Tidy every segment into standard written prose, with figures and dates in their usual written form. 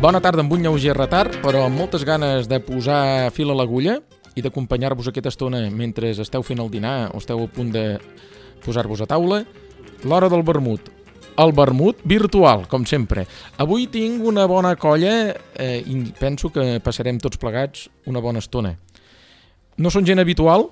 Bona tarda amb un lleuger retard, però amb moltes ganes de posar fil a l'agulla i d'acompanyar-vos aquesta estona mentre esteu fent el dinar o esteu a punt de posar-vos a taula. L'hora del vermut. El vermut virtual, com sempre. Avui tinc una bona colla i penso que passarem tots plegats una bona estona. No són gent habitual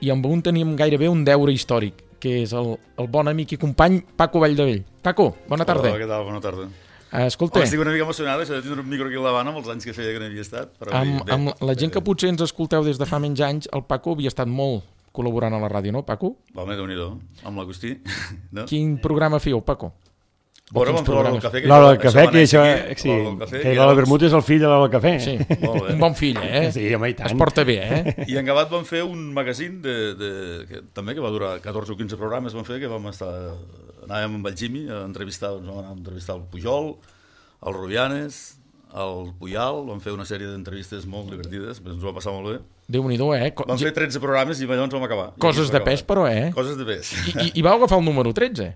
i amb un tenim gairebé un deure històric, que és el bon amic i company Paco Valldevell. Paco, bona tarda. Hola, què tal? Bona tarda. Escolta... Estic una mica emocionada, això de tindre un micro aquí a l'Havana amb els anys que feia que no havia estat. Però amb la gent que potser ens escolteu des de fa menys anys, el Paco havia estat molt col·laborant a la ràdio, no, Paco? Home, Déu-n'hi-do, amb l'Agustí. No? Quin programa fèieu, Paco? Bueno, vam fer l'hora del cafè. L'hora del cafè, que això... Sí, que l'hora del vermut és el fill de l'hora del cafè. Sí, un bon fill, eh? Sí, home, i tant. Es porta bé, eh? I en acabat vam fer un magazín també que va durar 14 o 15 programes, vam fer, que vam estar... Anàvem amb el Jimmy a entrevistar, vam anar a entrevistar el Pujol, el Rubianes, el Puyal, vam fer una sèrie d'entrevistes molt divertides, ens ho vam passar molt bé. Déu-n'hi-do, eh? Vam fer 13 programes i llavors vam acabar. Coses de pes, però, eh? Coses de pes. I vau agafar el número 13?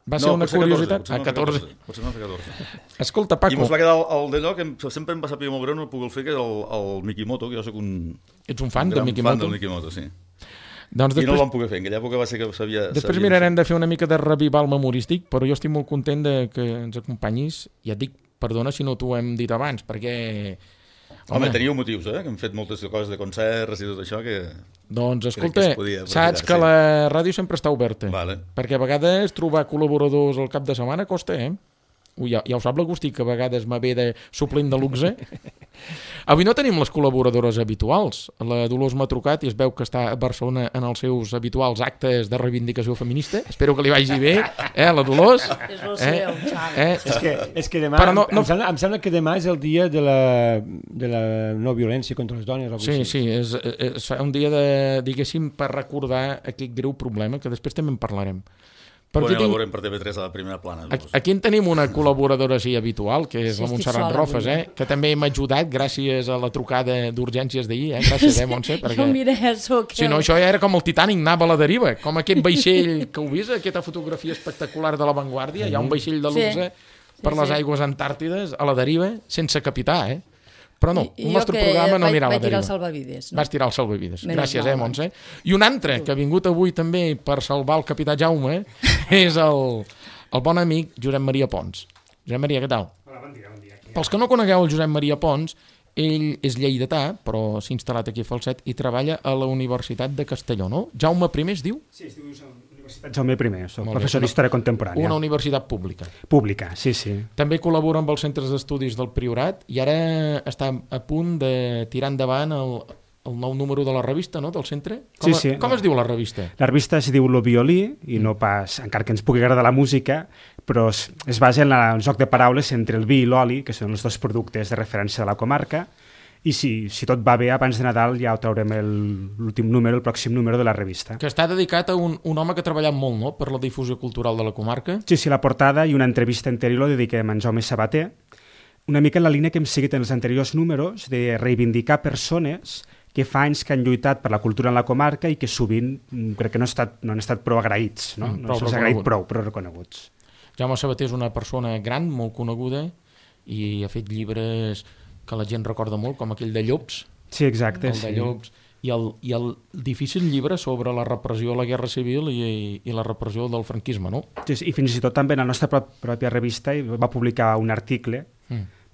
Va ser una curiositat? 14. Potser no fer 14. Escolta, Paco... I ens va quedar el d'allò que sempre em va saber molt greu, no puc fer, que és el Mikimoto, que jo soc un... Ets un fan del Mikimoto? Fan del Mikimoto, sí. Doncs després, i no el vam poder fer, en aquella època va ser que sabia... Després mirarem de fer una mica de revival memorístic, però jo estic molt content de que ens acompanyis. Ja et dic, perdona si no t'ho hem dit abans, perquè... Home, teníeu motius, que hem fet moltes coses de concerts i tot això que... Doncs escolta, saps que la ràdio sempre està oberta, vale. Perquè a vegades trobar col·laboradors al cap de setmana costa, eh? Ja ho sap l'Agustí, que a vegades me ve de suplent de luxe. Avui no tenim les col·laboradores habituals. La Dolors m'ha trucat i es veu que està a Barcelona en els seus habituals actes de reivindicació feminista. Espero que li vagi bé, la Dolors. És el seu, Xavi. És que demà, em sembla que demà és el dia de la no violència contra les dones. Sí, és un dia diguéssim, per recordar aquest greu problema, que després també en parlarem. Bueno, ja la veurem per TV3 a la primera plana. Aquí en tenim una col·laboradora així habitual, que és la Montserrat Rofes, que també m'ha ajudat gràcies a la trucada d'urgències d'ahir. Gràcies, Montse. Jo mira, si no, això ja era com el Titanic, anava a la deriva, com aquest vaixell que heu vist, aquesta fotografia espectacular de La Vanguardia, hi ha un vaixell de luxe per les aigües antàrtides a la deriva, sense capità, Però no, el nostre programa no anirà a la deriva. Vas tirar el salvavides. Gràcies, Montse. I un altre que ha vingut avui també per salvar el capità Jaume és el bon amic Josep Maria Pons. Josep Maria, què tal? Hola, bon dia. Pels que no conegueu el Josep Maria Pons, ell és lleidatà, però s'ha instal·lat aquí a Falset i treballa a la Universitat de Castelló, no? Jaume I es diu? Sí, es diu Universitat Jaume I, soc professor d'Història Contemporània. Una universitat pública. Pública, sí. També col·labora amb els centres d'estudis del Priorat i ara està a punt de tirar endavant el nou número de la revista, no?, del centre. Com es diu la revista? La revista es diu Lo Violí, i no pas, encara que ens pugui agradar la música, però es basa en el joc de paraules entre el vi i l'oli, que són els dos productes de referència de la comarca, i si tot va bé, abans de Nadal ja ho traurem l'últim número, el pròxim número de la revista. Que està dedicat a un home que ha treballat molt, no?, per la difusió cultural de la comarca. Sí, la portada i una entrevista anterior la dediquem a en Jaume Sabater, una mica en la línia que hem seguit en els anteriors números, de reivindicar persones que fa anys que han lluitat per la cultura en la comarca i que sovint crec que no han estat prou agraïts, no se'ls ha agraït prou, però reconeguts. Jaume Sabater és una persona gran, molt coneguda, i ha fet llibres que la gent recorda molt, com aquell de Llops. Sí, exacte. El de Llops. I el difícil llibre sobre la repressió a la Guerra Civil i la repressió del franquisme, no? Sí, i fins i tot també en la nostra pròpia revista va publicar un article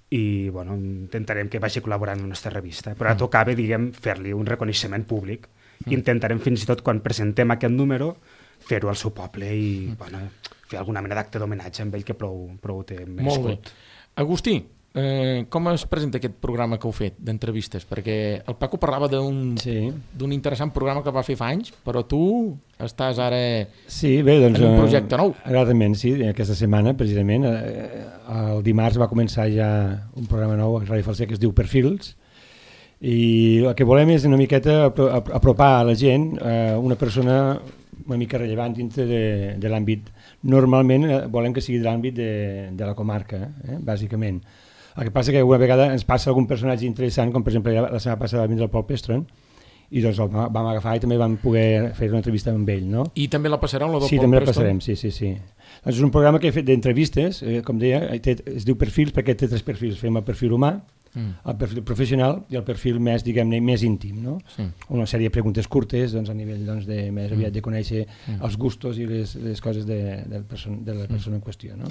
i intentarem que vagi col·laborant en la nostra revista. Però ara tocava, fer-li un reconeixement públic. Intentarem fins i tot, quan presentem aquest número, fer-ho al seu poble i fer alguna mena d'acte d'homenatge amb ell que prou té merescut. Molt bé. Agustí, com es presenta aquest programa que heu fet d'entrevistes? Perquè el Paco parlava d'un interessant programa que va fer fa anys, però tu estàs ara en un projecte nou. Exactament, sí, aquesta setmana precisament el dimarts va començar ja un programa nou a Ràdio Falset que es diu Perfils, i el que volem és una miqueta apropar a la gent una persona una mica rellevant dintre de l'àmbit. Normalment volem que sigui de l'àmbit de la comarca, bàsicament. El que passa que una vegada ens passa algun personatge interessant, com per exemple la setmana passada va vindre el Pol Pestron, i doncs el vam agafar i també vam poder fer una entrevista amb ell, no? I també la passareu, la del Sí, Paul també la Preston? passarem, sí. Doncs és un programa que he fet d'entrevistes, com deia, es diu perfils perquè té 3 perfils. Fem el perfil humà, el perfil professional i el perfil més, diguem-ne, més íntim, no? Sí. Una sèrie de preguntes curtes, doncs, a nivell de més aviat de conèixer els gustos i les coses de la persona en qüestió, no?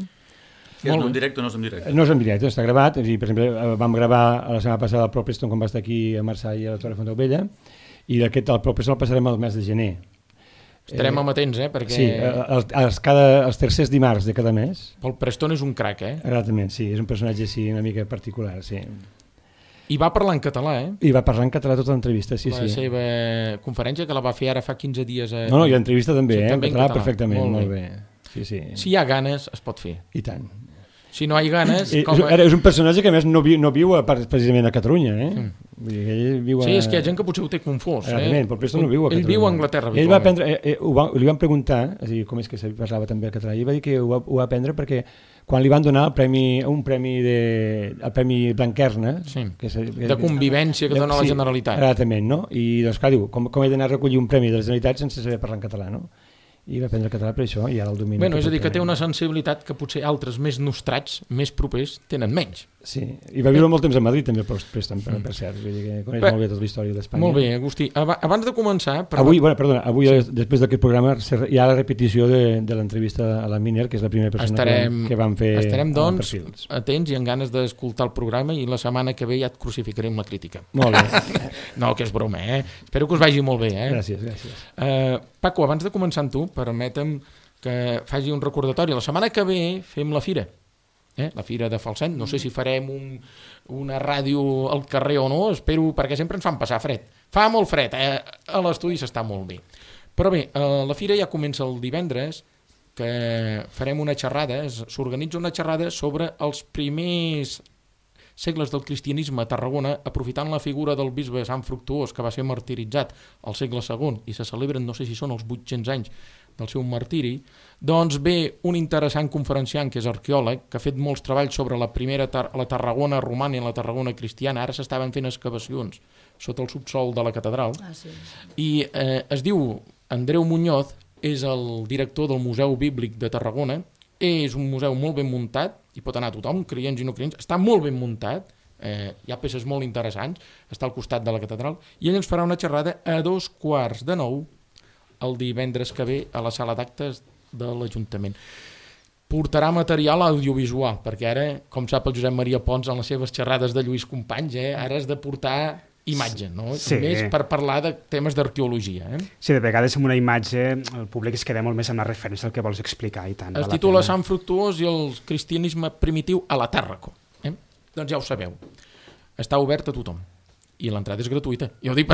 És en directe o no és en directe? No és en directe, està gravat. Per exemple, vam gravar la setmana passada el Paul Preston quan va estar aquí a Marçà i a la Torre Fontaubella, i el Paul Preston el passarem al mes de gener. Estarem amatents, perquè... Sí, els tercers dimarts de cada mes. Paul Preston és un crac, Exactament, sí, és un personatge així una mica particular, sí. I va parlar en català, I va parlar en català tota l'entrevista, sí. La seva conferència, que la va fer ara fa 15 dies. No, i l'entrevista també, també en català perfectament, molt bé. Sí. Si hi ha ganes, es pot fer. I tant. Si no hi ha ganes... És un personatge que a més no viu precisament a Catalunya, Vull dir que ell viu a... Sí, és que hi ha gent que potser ho té confós. Exactament, però Preston no viu a Catalunya. Ell viu a Anglaterra. Ell va aprendre, li van preguntar, és a dir, com és que se parlava també el català, i va dir que ho va aprendre perquè quan li van donar el premi Blanquerna, de convivència que dona la Generalitat. Exactament, no? I doncs clar, diu, com he d'anar a recollir un premi de la Generalitat sense saber parlar en català, no? I va aprendre català per això i ara el domina. Bueno, és a dir, que té una sensibilitat que potser altres més nostrats, més propers, tenen menys. Sí, i va viure molt temps a Madrid també, Preston, per cert, vull dir que coneix molt bé tota la història d'Espanya. Molt bé, Agustí. Abans de començar... Avui, després d'aquest programa, hi ha la repetició de l'entrevista a la Miner, que és la primera persona que vam fer. Estarem, doncs, atents i amb ganes d'escoltar el programa, i la setmana que ve ja et crucificaré amb la crítica. Molt bé. No, que és broma, Espero que us vagi molt bé, Gràcies. Paco, abans de començar amb tu, permetem que faci un recordatori. La setmana que ve fem la fira. La fira de Falset, no sé si farem una ràdio al carrer o no, espero, perquè sempre ens fan passar fred. Fa molt fred, a l'estudi s'està molt bé. Però bé, la fira ja comença el divendres, que farem una xerrada, s'organitza una xerrada sobre els primers segles del cristianisme a Tarragona, aprofitant la figura del bisbe Sant Fructuós, que va ser martiritzat al segle II, i se celebren, no sé si són els 800 anys del seu martiri, doncs ve un interessant conferenciant que és arqueòleg, que ha fet molts treballs sobre la Tarragona romana i la Tarragona cristiana. Ara s'estaven fent excavacions sota el subsol de la catedral. I es diu Andreu Muñoz, és el director del Museu Bíblic de Tarragona. És un museu molt ben muntat, hi pot anar tothom, creients i no creients, està molt ben muntat, hi ha peces molt interessants, està al costat de la catedral, i ell ens farà una xerrada a 8:45 el divendres que ve a la sala d'actes de l'Ajuntament. Portarà material audiovisual, perquè ara, com sap el Josep Maria Pons en les seves xerrades de Lluís Companys, ara has de portar imatge, no? Sí. Més per parlar de temes d'arqueologia. Sí, de vegades amb una imatge el públic es queda molt més amb la referència del que vols explicar i tant. Es titula Sant Fructuós i el cristianisme primitiu a la Tàrraco. Doncs ja ho sabeu. Està obert a tothom. I l'entrada és gratuïta. Jo ho dic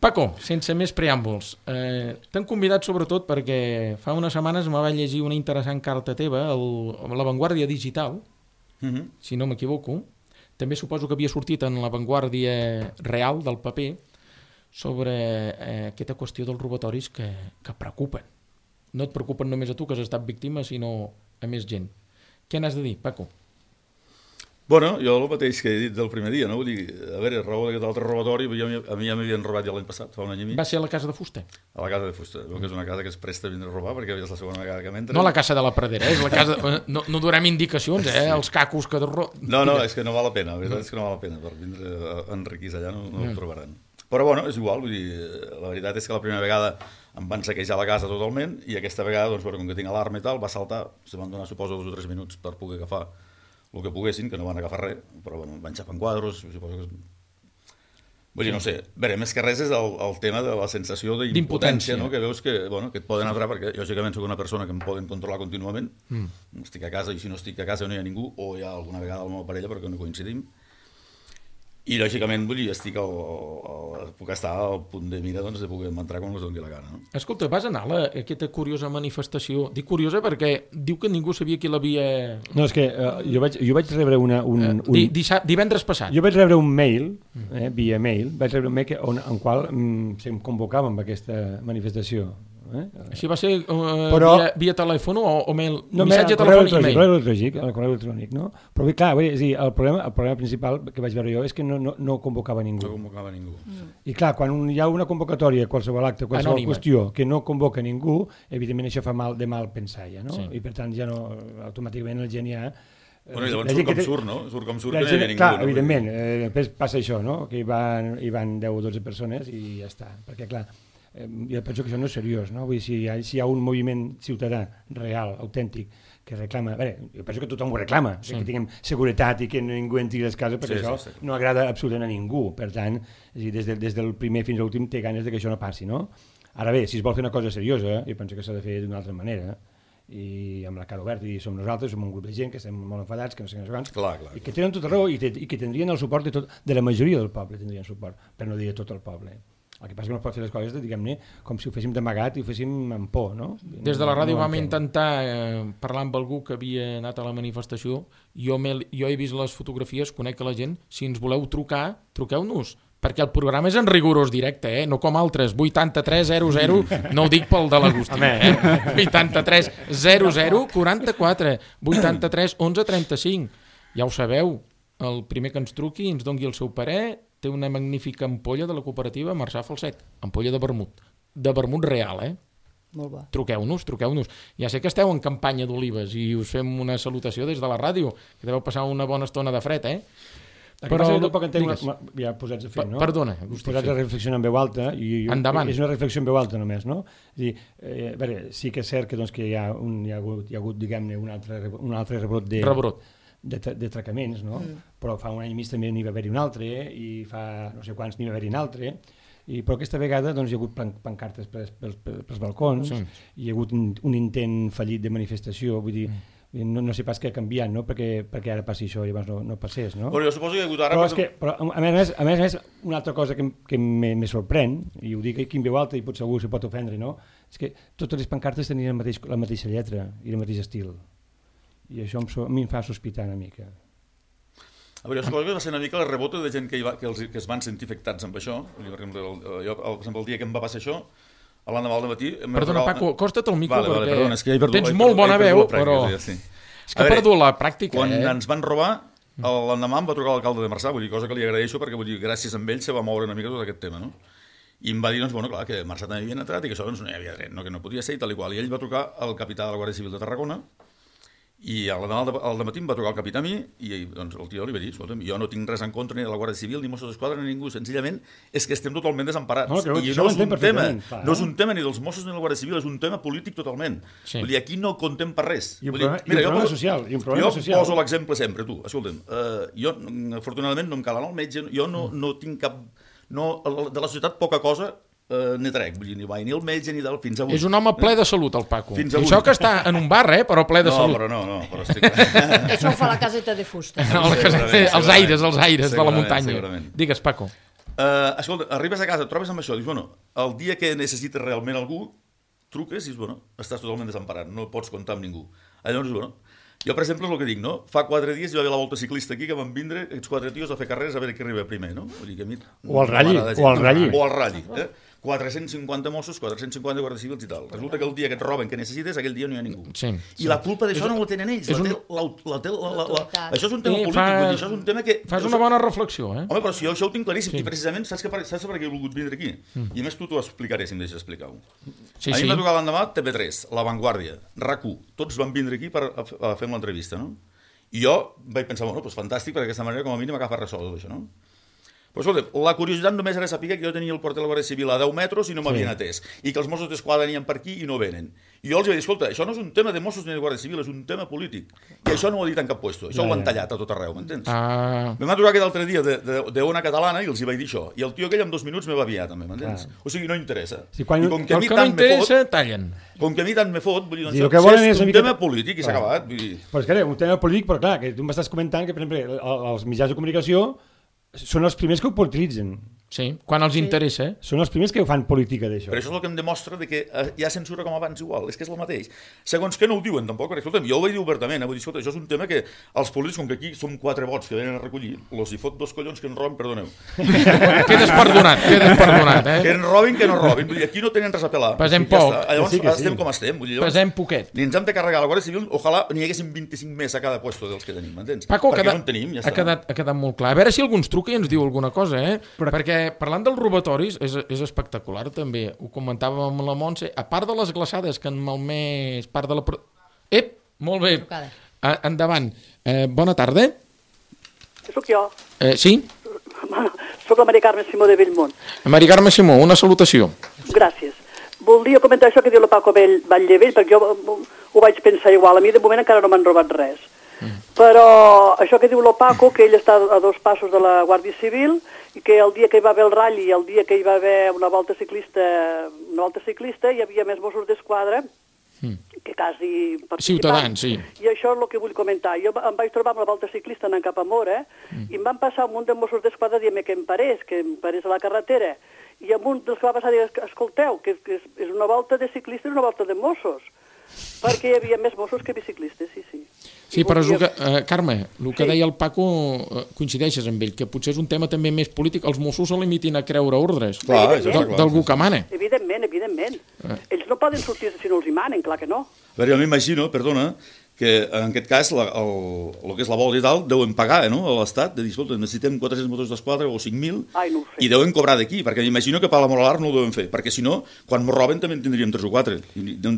Paco, sense més preàmbuls, t'han convidat sobretot perquè fa unes setmanes me va llegir una interessant carta teva a La Vanguardia Digital, si no m'equivoco. També suposo que havia sortit en La Vanguardia Real del paper sobre aquesta qüestió dels robatoris que preocupen. No et preocupen només a tu, que has estat víctima, sinó a més gent. Què n'has de dir, Paco? Bueno, jo el mateix que he dit del primer dia, no? Vull dir, a veure, raó d'aquest altre robatori, a mi ja m'havien robat ja l'any passat, fa un any i mig. Va ser a la casa de fusta? A la casa de fusta, que és una casa que es presta a vindre a robar, perquè és la segona vegada que m'entra. No la casa de la Pradera, és la casa... No durem indicacions, els cacos que... No, és que no val la pena, la veritat és que no val la pena, per vindre enriquís allà no ho trobaran. Però bueno, és igual, vull dir, la veritat és que la primera vegada em van saquejar la casa totalment, i aquesta vegada, doncs, com que tinc alarma i tal, va saltar, se van donar, suposo, 2 o 3 minuts per poder agafar el que poguessin, que no van agafar res, però bueno, van xapar quadros, suposo que... Vull dir, no sé, veure, més que res és el tema de la sensació d'impotència, no? Que veus que et poden entrar, perquè lògicament soc una persona que em poden controlar contínuament, estic a casa, i si no estic a casa no hi ha ningú, o hi ha alguna vegada la meva parella perquè no coincidim, i lògicament vull dir, puc estar al punt de mira de poder entrar quan us doni la gana. Escolta, vas anar a aquesta curiosa manifestació? Dic curiosa perquè diu que ningú sabia qui l'havia... No, és que jo vaig rebre divendres passat. Jo vaig rebre un mail, via mail, vaig rebre un mail en qual em convocàvem a aquesta manifestació. Així va ser via telèfon o mail? Missatge telefònic i mail? El correu electrònic, no? Però bé, clar, el problema principal que vaig veure jo és que no convocava ningú. No convocava ningú. I clar, quan hi ha una convocatòria, qualsevol acte, qualsevol qüestió que no convoca ningú, evidentment això fa mal pensar ja, no? I per tant ja no, automàticament la gent ja... Bueno, i llavors surt com surt, no? Surt com surt que no hi havia ningú. Clar, evidentment, després passa això, no? Que hi van 10 o 12 persones i ja està. Perquè, clar, jo penso que això no és seriós, no? Vull dir, si hi ha un moviment ciutadà real, autèntic, que reclama... Bé, jo penso que tothom ho reclama, que tinguem seguretat i que ningú entri a les cases, perquè això no agrada absolutament a ningú. Per tant, des del primer fins a l'últim té ganes que això no passi, no? Ara bé, si es vol fer una cosa seriosa, jo penso que s'ha de fer d'una altra manera, i amb la cara oberta, i som nosaltres, som un grup de gent que estem molt enfadats, que no sé quants, i que tenen tota raó i que tindrien el suport de la majoria del poble, tindrien suport, per no dir de tot el poble. El que passa que no es pot fer les coses, diguem-ne, com si ho féssim d'amagat i ho féssim amb por, no? Des de la ràdio vam intentar parlar amb algú que havia anat a la manifestació. Jo he vist les fotografies, conec a la gent. Si ens voleu trucar, truqueu-nos, perquè el programa és en rigorós directe, no com altres. 8300, no ho dic pel de l'Agustí, 8300 44, 83 11 35. Ja ho sabeu, el primer que ens truqui i ens dongui el seu parer té una magnífica ampolla de la cooperativa Marçà Falset, ampolla de vermut real, Molt bo. Truqueu-nos. Ja sé que esteu en campanya d'olives i us fem una salutació des de la ràdio, que deveu passar una bona estona de fred, Però tampoc entenc, ja posats a fer, no? Perdona, posats a reflexionar en veu alta, i endavant. És una reflexió en veu alta només, no? És a dir, a veure, sí que és cert que hi ha hagut, diguem-ne, un altre rebrot d'atracaments, no? Però fa un any i mig també n'hi va haver-hi un altre, i fa no sé quants n'hi va haver-hi un altre, però aquesta vegada hi ha hagut pancartes pels balcons, hi ha hagut un intent fallit de manifestació, vull dir, no sé pas què ha canviat, no? Perquè ara passi això i llavors no passés, no? Però jo suposo que hi ha hagut ara... Però a més, una altra cosa que me sorprèn, i ho dic aquí en veu alta i potser algú s'hi pot ofendre, no? És que totes les pancartes tenien la mateixa lletra i el mateix estil. I això a mi em fa sospitar una mica. A veure, jo suposo que va ser una mica la rebota de gent que es van sentir afectats amb això. Jo, per exemple, el dia que em va passar això, l'endemà al matí... Perdona, Paco, acosta't al micro, perquè tens molt bona veu, però... És que he perdut la pràctica, Quan ens van robar, l'endemà em va trucar l'alcalde de Marçà, vull dir, cosa que li agraeixo, perquè vull dir, gràcies a ell se va moure una mica tot aquest tema, no? I em va dir, doncs, bueno, clar, que Marçà també havien entrat i que això no hi havia dret, que no podia ser i tal i qual. I ell va trucar al capità de la Guàrdia Civil de Tarragona, i l'endemà al dematí em va trucar el capità a mi i doncs, el tio li va dir, escolta'm, jo no tinc res en contra ni de la Guàrdia Civil ni Mossos d'Esquadra ni ningú, senzillament és que estem totalment desemparats. I no és un tema ni dels Mossos ni de la Guàrdia Civil, és un tema polític totalment. Vull dir, aquí no contem per res. I un problema social. Jo poso l'exemple sempre, tu, escolta'm, jo afortunadament no em cal anar al metge, jo no tinc cap... De la societat poca cosa n'hi trec, vull dir, ni el metge ni del fins avui. És un home ple de salut, el Paco. Això que està en un bar, però ple de salut. No, però estic... Això ho fa la caseta de fusta. Els aires de la muntanya. Digues, Paco. Escolta, arribes a casa, et trobes amb això, dius, bueno, el dia que necessites realment algú, truques i dius, bueno, estàs totalment desemparat, no pots comptar amb ningú. Llavors, bueno, jo, per exemple, és el que dic, no? Fa 4 dies hi va haver la volta ciclista aquí que van vindre aquests 4 tios a fer carreres a veure qui arriba primer, no? Vull dir que a mi... O al Ralli. 450 Mossos, 450 Guàrdia Civils i tal. Resulta que el dia que et roben que necessites, aquell dia no hi ha ningú. Sí. I la culpa d'això no la tenen ells. Això és un tema polític, això és un tema que... Fas una bona reflexió, Home, però si jo això ho tinc claríssim, i precisament saps per què he volgut vindre aquí? I a més tu t'ho explicaré, si em deixes explicar-ho. A mi em va tocar l'endemà TV3, La Vanguardia, RAC1, tots van vindre aquí per fer l'entrevista, no? I jo vaig pensar, bueno, doncs fantàstic, perquè d'aquesta manera com a mínim agafa ressò tot això, no? Però escolta, la curiositat només era saber que jo tenia el porter de la Guàrdia Civil a 10 metres i no m'havien atès, i que els Mossos d'Esquadra venien per aquí i no venen. I jo els vaig dir, escolta, això no és un tema de Mossos ni de Guàrdia Civil, és un tema polític. I això no ho ha dit en cap puesto, això ho han tallat a tot arreu, m'entens? Em va trucar aquest altre dia d'Ona Catalana i els hi vaig dir això, i el tio aquell en 2 minuts me va aviar també, m'entens? O sigui, no interessa. El que no interessa, tallen. Com que a mi tant me fot, vull dir, doncs és un tema polític i s'ha acabat. Però és que un tema polític, però clar, que tu m'estàs comentant que, per exemple, els mitjans de comunicació són els primers que ho utilitzen. Sí, quan els interessa. Són els primers que fan política d'això. Però això és el que em demostra que hi ha censura com abans igual, és que és el mateix. Segons que no ho diuen tampoc, perquè escolta'm, jo ho vaig dir obertament, vull dir, escolta, això és un tema que els polítics, com que aquí som 4 vots que venen a recollir, els hi fot 2 collons que en robin, perdoneu. Quedes perdonat, Que en robin, que no robin, vull dir, aquí no tenen res a pelar. Pesem poc. Llavors estem com estem, vull dir, pesem poquet. Ni ens hem de carregar la Guàrdia Civil, ojalà n'hi haguessin 25 més a cada puesto dels que tenim, m'entens? Paco, perquè no en tenim, ja ha quedat molt clar. A veure si algú ens truca i ens diu alguna cosa, perquè parlant dels robatoris és espectacular també. Ho comentàvem amb la Montse, a part de les glaçades que han malmès part de la... Molt bé. Endavant. Bona tarda. Soc jo. Sí? Soc la Maria Carme Simó de Bellmunt. Maria Carme Simó, una salutació. Gràcies. Voldria comentar això que diu la Paco Batllevell, perquè jo ho vaig pensar igual. A mi de moment encara no m'han robat res. Però això que diu la Paco, que ell està a 2 passos de la Guàrdia Civil i que el dia que hi va haver el ratll i el dia que hi va haver una volta ciclista hi havia més Mossos d'Esquadra que quasi Ciutadans, sí. I això és el que vull comentar. Jo em vaig trobar amb la volta ciclista anant cap a Mora i em van passar un munt de Mossos d'Esquadra dient que em parés a la carretera, i amb un dels que va passar dir, escolteu, que és una volta de ciclistes i una volta de Mossos, perquè hi havia més Mossos que biciclistes, sí. Sí, però és el que, Carme, el que deia el Paco, coincideixes amb ell, que potser és un tema també més polític. Els Mossos se limitin a creure ordres d'algú que mana. Evidentment. Ells no poden sortir si no els hi manen, clar que no. A veure, jo m'imagino, perdona, que en aquest cas el que és la volta i tal deuen pagar a l'Estat, de dir, escolta, necessitem 400 motors d'esquadra o 5.000 no i deuen cobrar d'aquí, perquè m'imagino que per la Moralar no ho deuen fer, perquè si no, quan m'ho roben també en tindríem 3 o 4.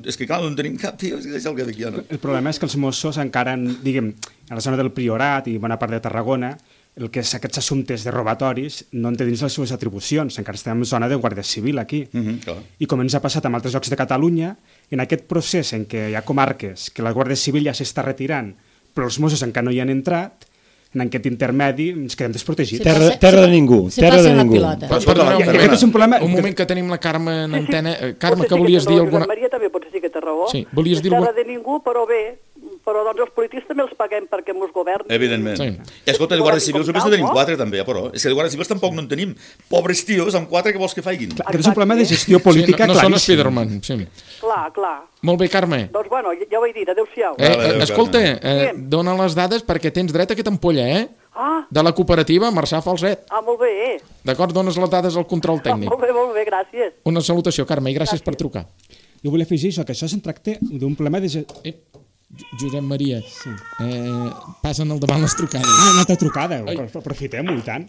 És que clar, no en tenim cap, tio, és el que d'aquí no. El problema és que els Mossos encara, diguem, a la zona del Priorat i bona part de Tarragona, el que és aquests assumptes de robatoris no en té dins les seves atribucions, encara estem en zona de Guàrdia Civil aquí. I com ens ha passat amb altres llocs de Catalunya, en aquest procés en què hi ha comarques que la Guàrdia Civil ja s'està retirant, però els Mossos encara no hi han entrat, en aquest intermedi ens quedem desprotegits. Terra de ningú. Terra de ningú. Un moment que tenim la Carme en antena. Carme, que volies dir alguna... Maria també potser sí que té raó. Sí, volies dir terra de ningú, però bé, però doncs els polítics també els paguem perquè ens governen. Evidentment. I escolta, de Guàrdia Civils només en tenim 4 també, però és que de Guàrdia Civils tampoc no en tenim. Pobres tios, amb 4 que vols que faiguin. Aquest és un problema de gestió política claríssim. No són Spiderman, sí. Clar. Molt bé, Carme. Doncs bueno, ja ho he dit, adéu-siau. Escolta, dona les dades perquè tens dret a aquesta ampolla, de la cooperativa Marçà Falset. Molt bé. D'acord, dones les dades al control tècnic. Molt bé, gràcies. Una salutació, Carme, i gràcies per trucar. Jo volia afegir això, que això se'n tracta d'un problema de... Josep Maria, passen al davant les trucades. Una altra trucada, aprofitem-ho i tant.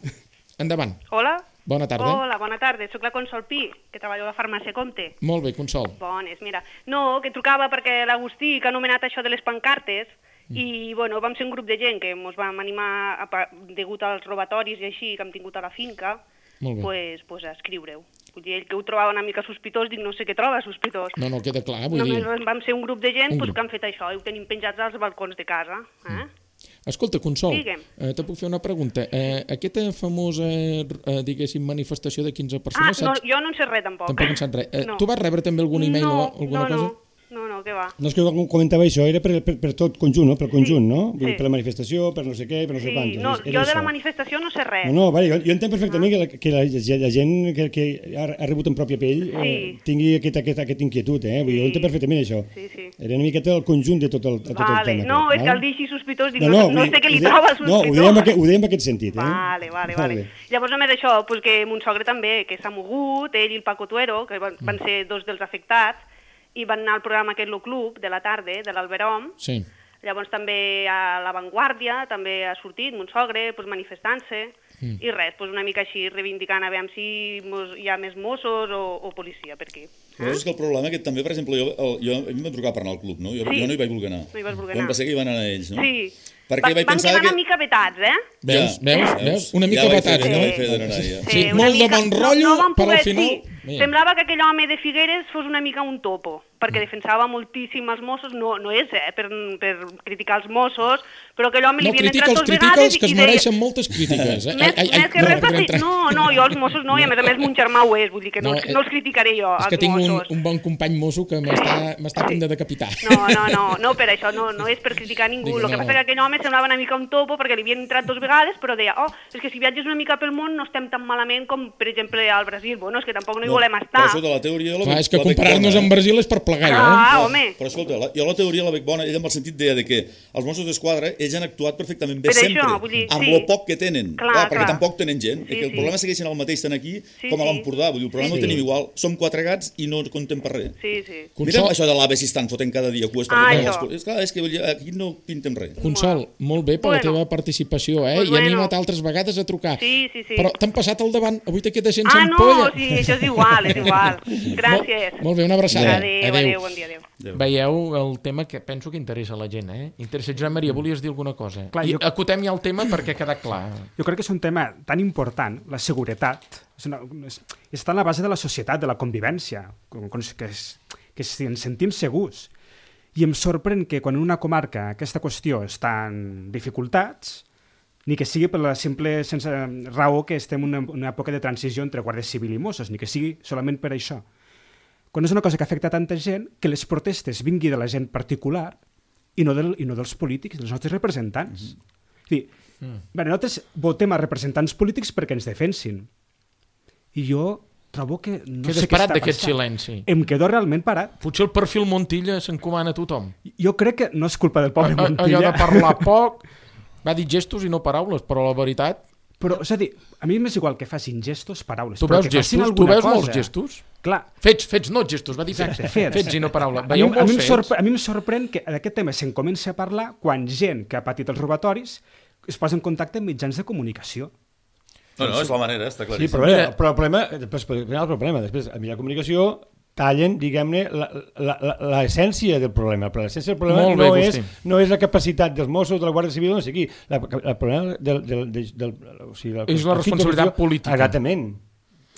Endavant. Hola. Bona tarda. Hola, bona tarda. Soc la Consol Pi, que treballo a la farmàcia Comte. Molt bé, Consol. Bones, mira. No, que trucava perquè l'Agustí, que ha anomenat això de les pancartes, i bueno, vam ser un grup de gent que ens vam animar, degut als robatoris i així que hem tingut a la finca, pues a escriure-ho. Vull dir, ell que ho trobava una mica sospitós, dic, no sé què troba sospitós. No, queda clar, vull dir... Només vam ser un grup de gent que han fet això, i ho tenim penjats als balcons de casa. Escolta, Consol, Digue'm. te puc fer una pregunta. Aquesta famosa, diguéssim, manifestació de 15 persones... No, jo no en sé res, tampoc. Tampoc en saps res. Tu vas rebre també algun e-mail o alguna cosa? No, què va. No, és que jo comentava això, era per tot conjunt, no? Pel conjunt, no? Vull dir, per la manifestació, per no sé què, per no sé quantos. No, jo de la manifestació no sé res. No, vale, jo entenc perfectament que la gent que ha rebut en pròpia pell tingui aquesta inquietud, Vull dir, jo entenc perfectament això. Era una miqueta el conjunt de tot el tema. No, és que el dir així sospitós, dic, no sé què li troba sospitós. No, ho dèiem en aquest sentit, Vale. Llavors només això, que mon sogre també, que s'ha mogut, ell i el Paco Tuero, que van ser 2 dels afectats, i van anar al programa aquest Lo Club de la tarda, de l'Alberom. Sí. Llavors també a La Vanguardia, també ha sortit mon sogre, manifestant-se, i res, una mica així reivindicant a veure si hi ha més Mossos o policia per aquí. Però és que el problema que també, per exemple, a mi m'ha trucat per anar al club, no? Jo no hi vaig voler anar. No hi vas voler anar. Em va ser que hi van anar ells, no? Sí. Perquè vaig pensar van quedar una mica vetats, Veus? Una mica vetats, no? Sí, molt de bon rotllo, però al final... Semblava que aquell home de Figueres fos una mica un topo. perquè defensava moltíssim els Mossos, no és per criticar els Mossos, però que l'home li havien entrat dos vegades... No, critica els que es mereixen moltes crítiques. Més que res, no, jo els Mossos no, i a més mon germà ho és, vull dir que no els criticaré jo, els Mossos. És que tinc un bon company mosso que m'està a punt de decapitar. No, per això, no és per criticar ningú, el que passa que aquell home semblava una mica un topo perquè li havien entrat dos vegades, però deia, és que si viatges una mica pel món no estem tan malament com, per exemple, al Brasil, bueno, és que tampoc no hi volem estar. Però això de la teoria de la és que comparar-nos amb Brasil és per plegar, home. Però escolta, jo la teoria la veig bona, ella amb el sentit deia que els Mossos d'Esquadra, ells han actuat perfectament bé sempre, amb lo poc que tenen, perquè tampoc tenen gent, que el problema segueixen el mateix tant aquí com a l'Empordà, vull dir, el problema no tenim igual, som 4 gats i no contem per res. Mira'm això de l'AVE si estan fotent cada dia cues per és que aquí no pintem res. Consol, molt bé per la teva participació, i anima't altres vegades a trucar. Però t'han passat al davant, avui te quedes sense ampolla. No, sí, això és igual. Gràcies. Molt bé, una abraçada. Adéu, bon dia, adéu. Veieu el tema que penso que interessa a la gent, Interessa. Joan Maria, volies dir alguna cosa? Acotem ja el tema perquè ha quedat clar. Jo crec que és un tema tan important, la seguretat, està en la base de la societat, de la convivència, que ens sentim segurs. I em sorprèn que quan en una comarca aquesta qüestió està en dificultats, ni que sigui per la simple sense raó que estem en una època de transició entre Guàrdia Civil i Mossos, ni que sigui solament per això. Quan és una cosa que afecta tanta gent, que les protestes vingui de la gent particular i no dels polítics, dels nostres representants. Nosaltres votem a representants polítics perquè ens defensin. I jo trobo que no sé què està passant. d'aquest silenci. Em quedo realment parat. Potser el perfil Montilla s'encomana a tothom. Jo crec que no és culpa del pobre Montilla. Allò de parlar poc, va dir gestos i no paraules, però la veritat... Però, és a dir, a mi m'és igual que facin gestos, paraules. Tu veus gestos? Tu veus molts gestos? Clar. Fets, no gestos, va dir fets i no paraules. A mi em sorprèn que d'aquest tema se'n comença a parlar quan gent que ha patit els robatoris es posa en contacte amb mitjans de comunicació. No, és la manera, està claríssim. Sí, però el problema, després, a mitjà de comunicació tallen, diguem-ne, l'essència del problema. Però l'essència del problema no és la capacitat dels Mossos, de la Guàrdia Civil, no sé qui. El problema és la responsabilitat política. Exactament.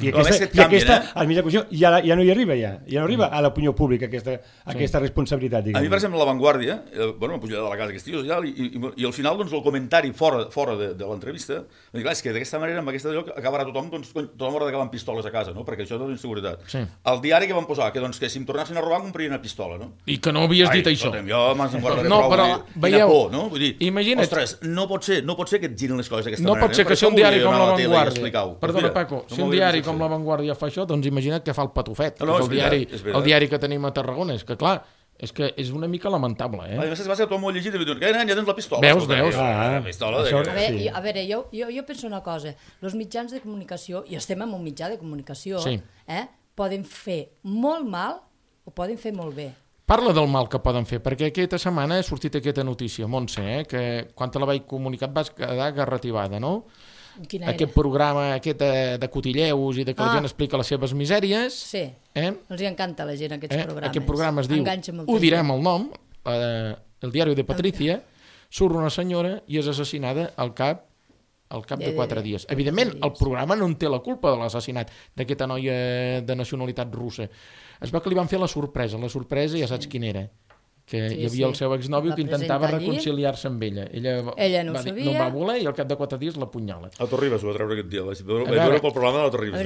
I aquesta al mitjà de comunicació ja no hi arriba, ja no arriba a l'opinió pública aquesta responsabilitat. A mi, per exemple, La Vanguardia, m'ha pujat de la casa aquesta i al final el comentari fora de l'entrevista, és que d'aquesta manera, amb aquesta lloc, acabarà tothom haurà d'acabar amb pistoles a casa, perquè això és inseguretat. El diari que van posar, que si em tornassin a robar comprarien una pistola. I que no havies dit això. Jo m'han guardaré prou, quina por, no? Vull dir, ostres, no pot ser que et girin les coses d'aquesta manera. No pot ser que si un diari com La Vanguardia, perdona Paco, si un diari com La Vanguardia fa això, doncs imagina't que fa el patufet. El diari que tenim a Tarragona. És que, clar, és una mica lamentable. A més, va ser tot molt llegit i diuen, ja tens la pistola. Veus? A veure, jo penso una cosa. Els mitjans de comunicació, i estem en un mitjà de comunicació, poden fer molt mal o poden fer molt bé. Parla del mal que poden fer, perquè aquesta setmana ha sortit aquesta notícia, Montse, que quan te la vaig comunicar vas quedar garrativada, no? Aquest programa de cotilleus i de que la gent explica les seves misèries. Sí, els encanta a la gent aquests programes. Aquest programa es diu, ho direm el nom, El diari de Patricia, surt una senyora i és assassinada al cap de 4 dies. Evidentment, el programa no en té la culpa de l'assassinat d'aquesta noia de nacionalitat russa. Es veu que li van fer la sorpresa ja saps quina era. Que hi havia el seu exnòvio que intentava reconciliar-se amb ella. Ella no va voler i al cap de 4 dies l'apunyala. A Torribas ho va treure aquest dia. Vaig veure pel programa de la Torribas.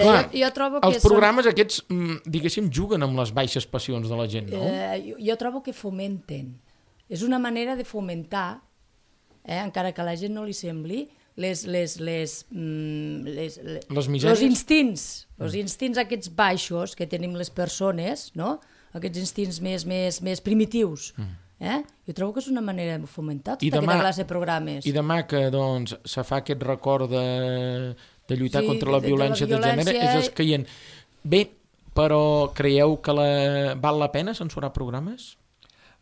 Els programes aquests, diguéssim, juguen amb les baixes passions de la gent, no? Jo trobo que fomenten. És una manera de fomentar, encara que a la gent no li sembli, els instints aquests baixos que tenim les persones, no? Aquests instints més primitius. Jo trobo que és una manera de fomentar tota aquesta classe de programes. I demà que se fa aquest record de lluitar contra la violència de gènere, és escaient. Bé, però creieu que val la pena censurar programes?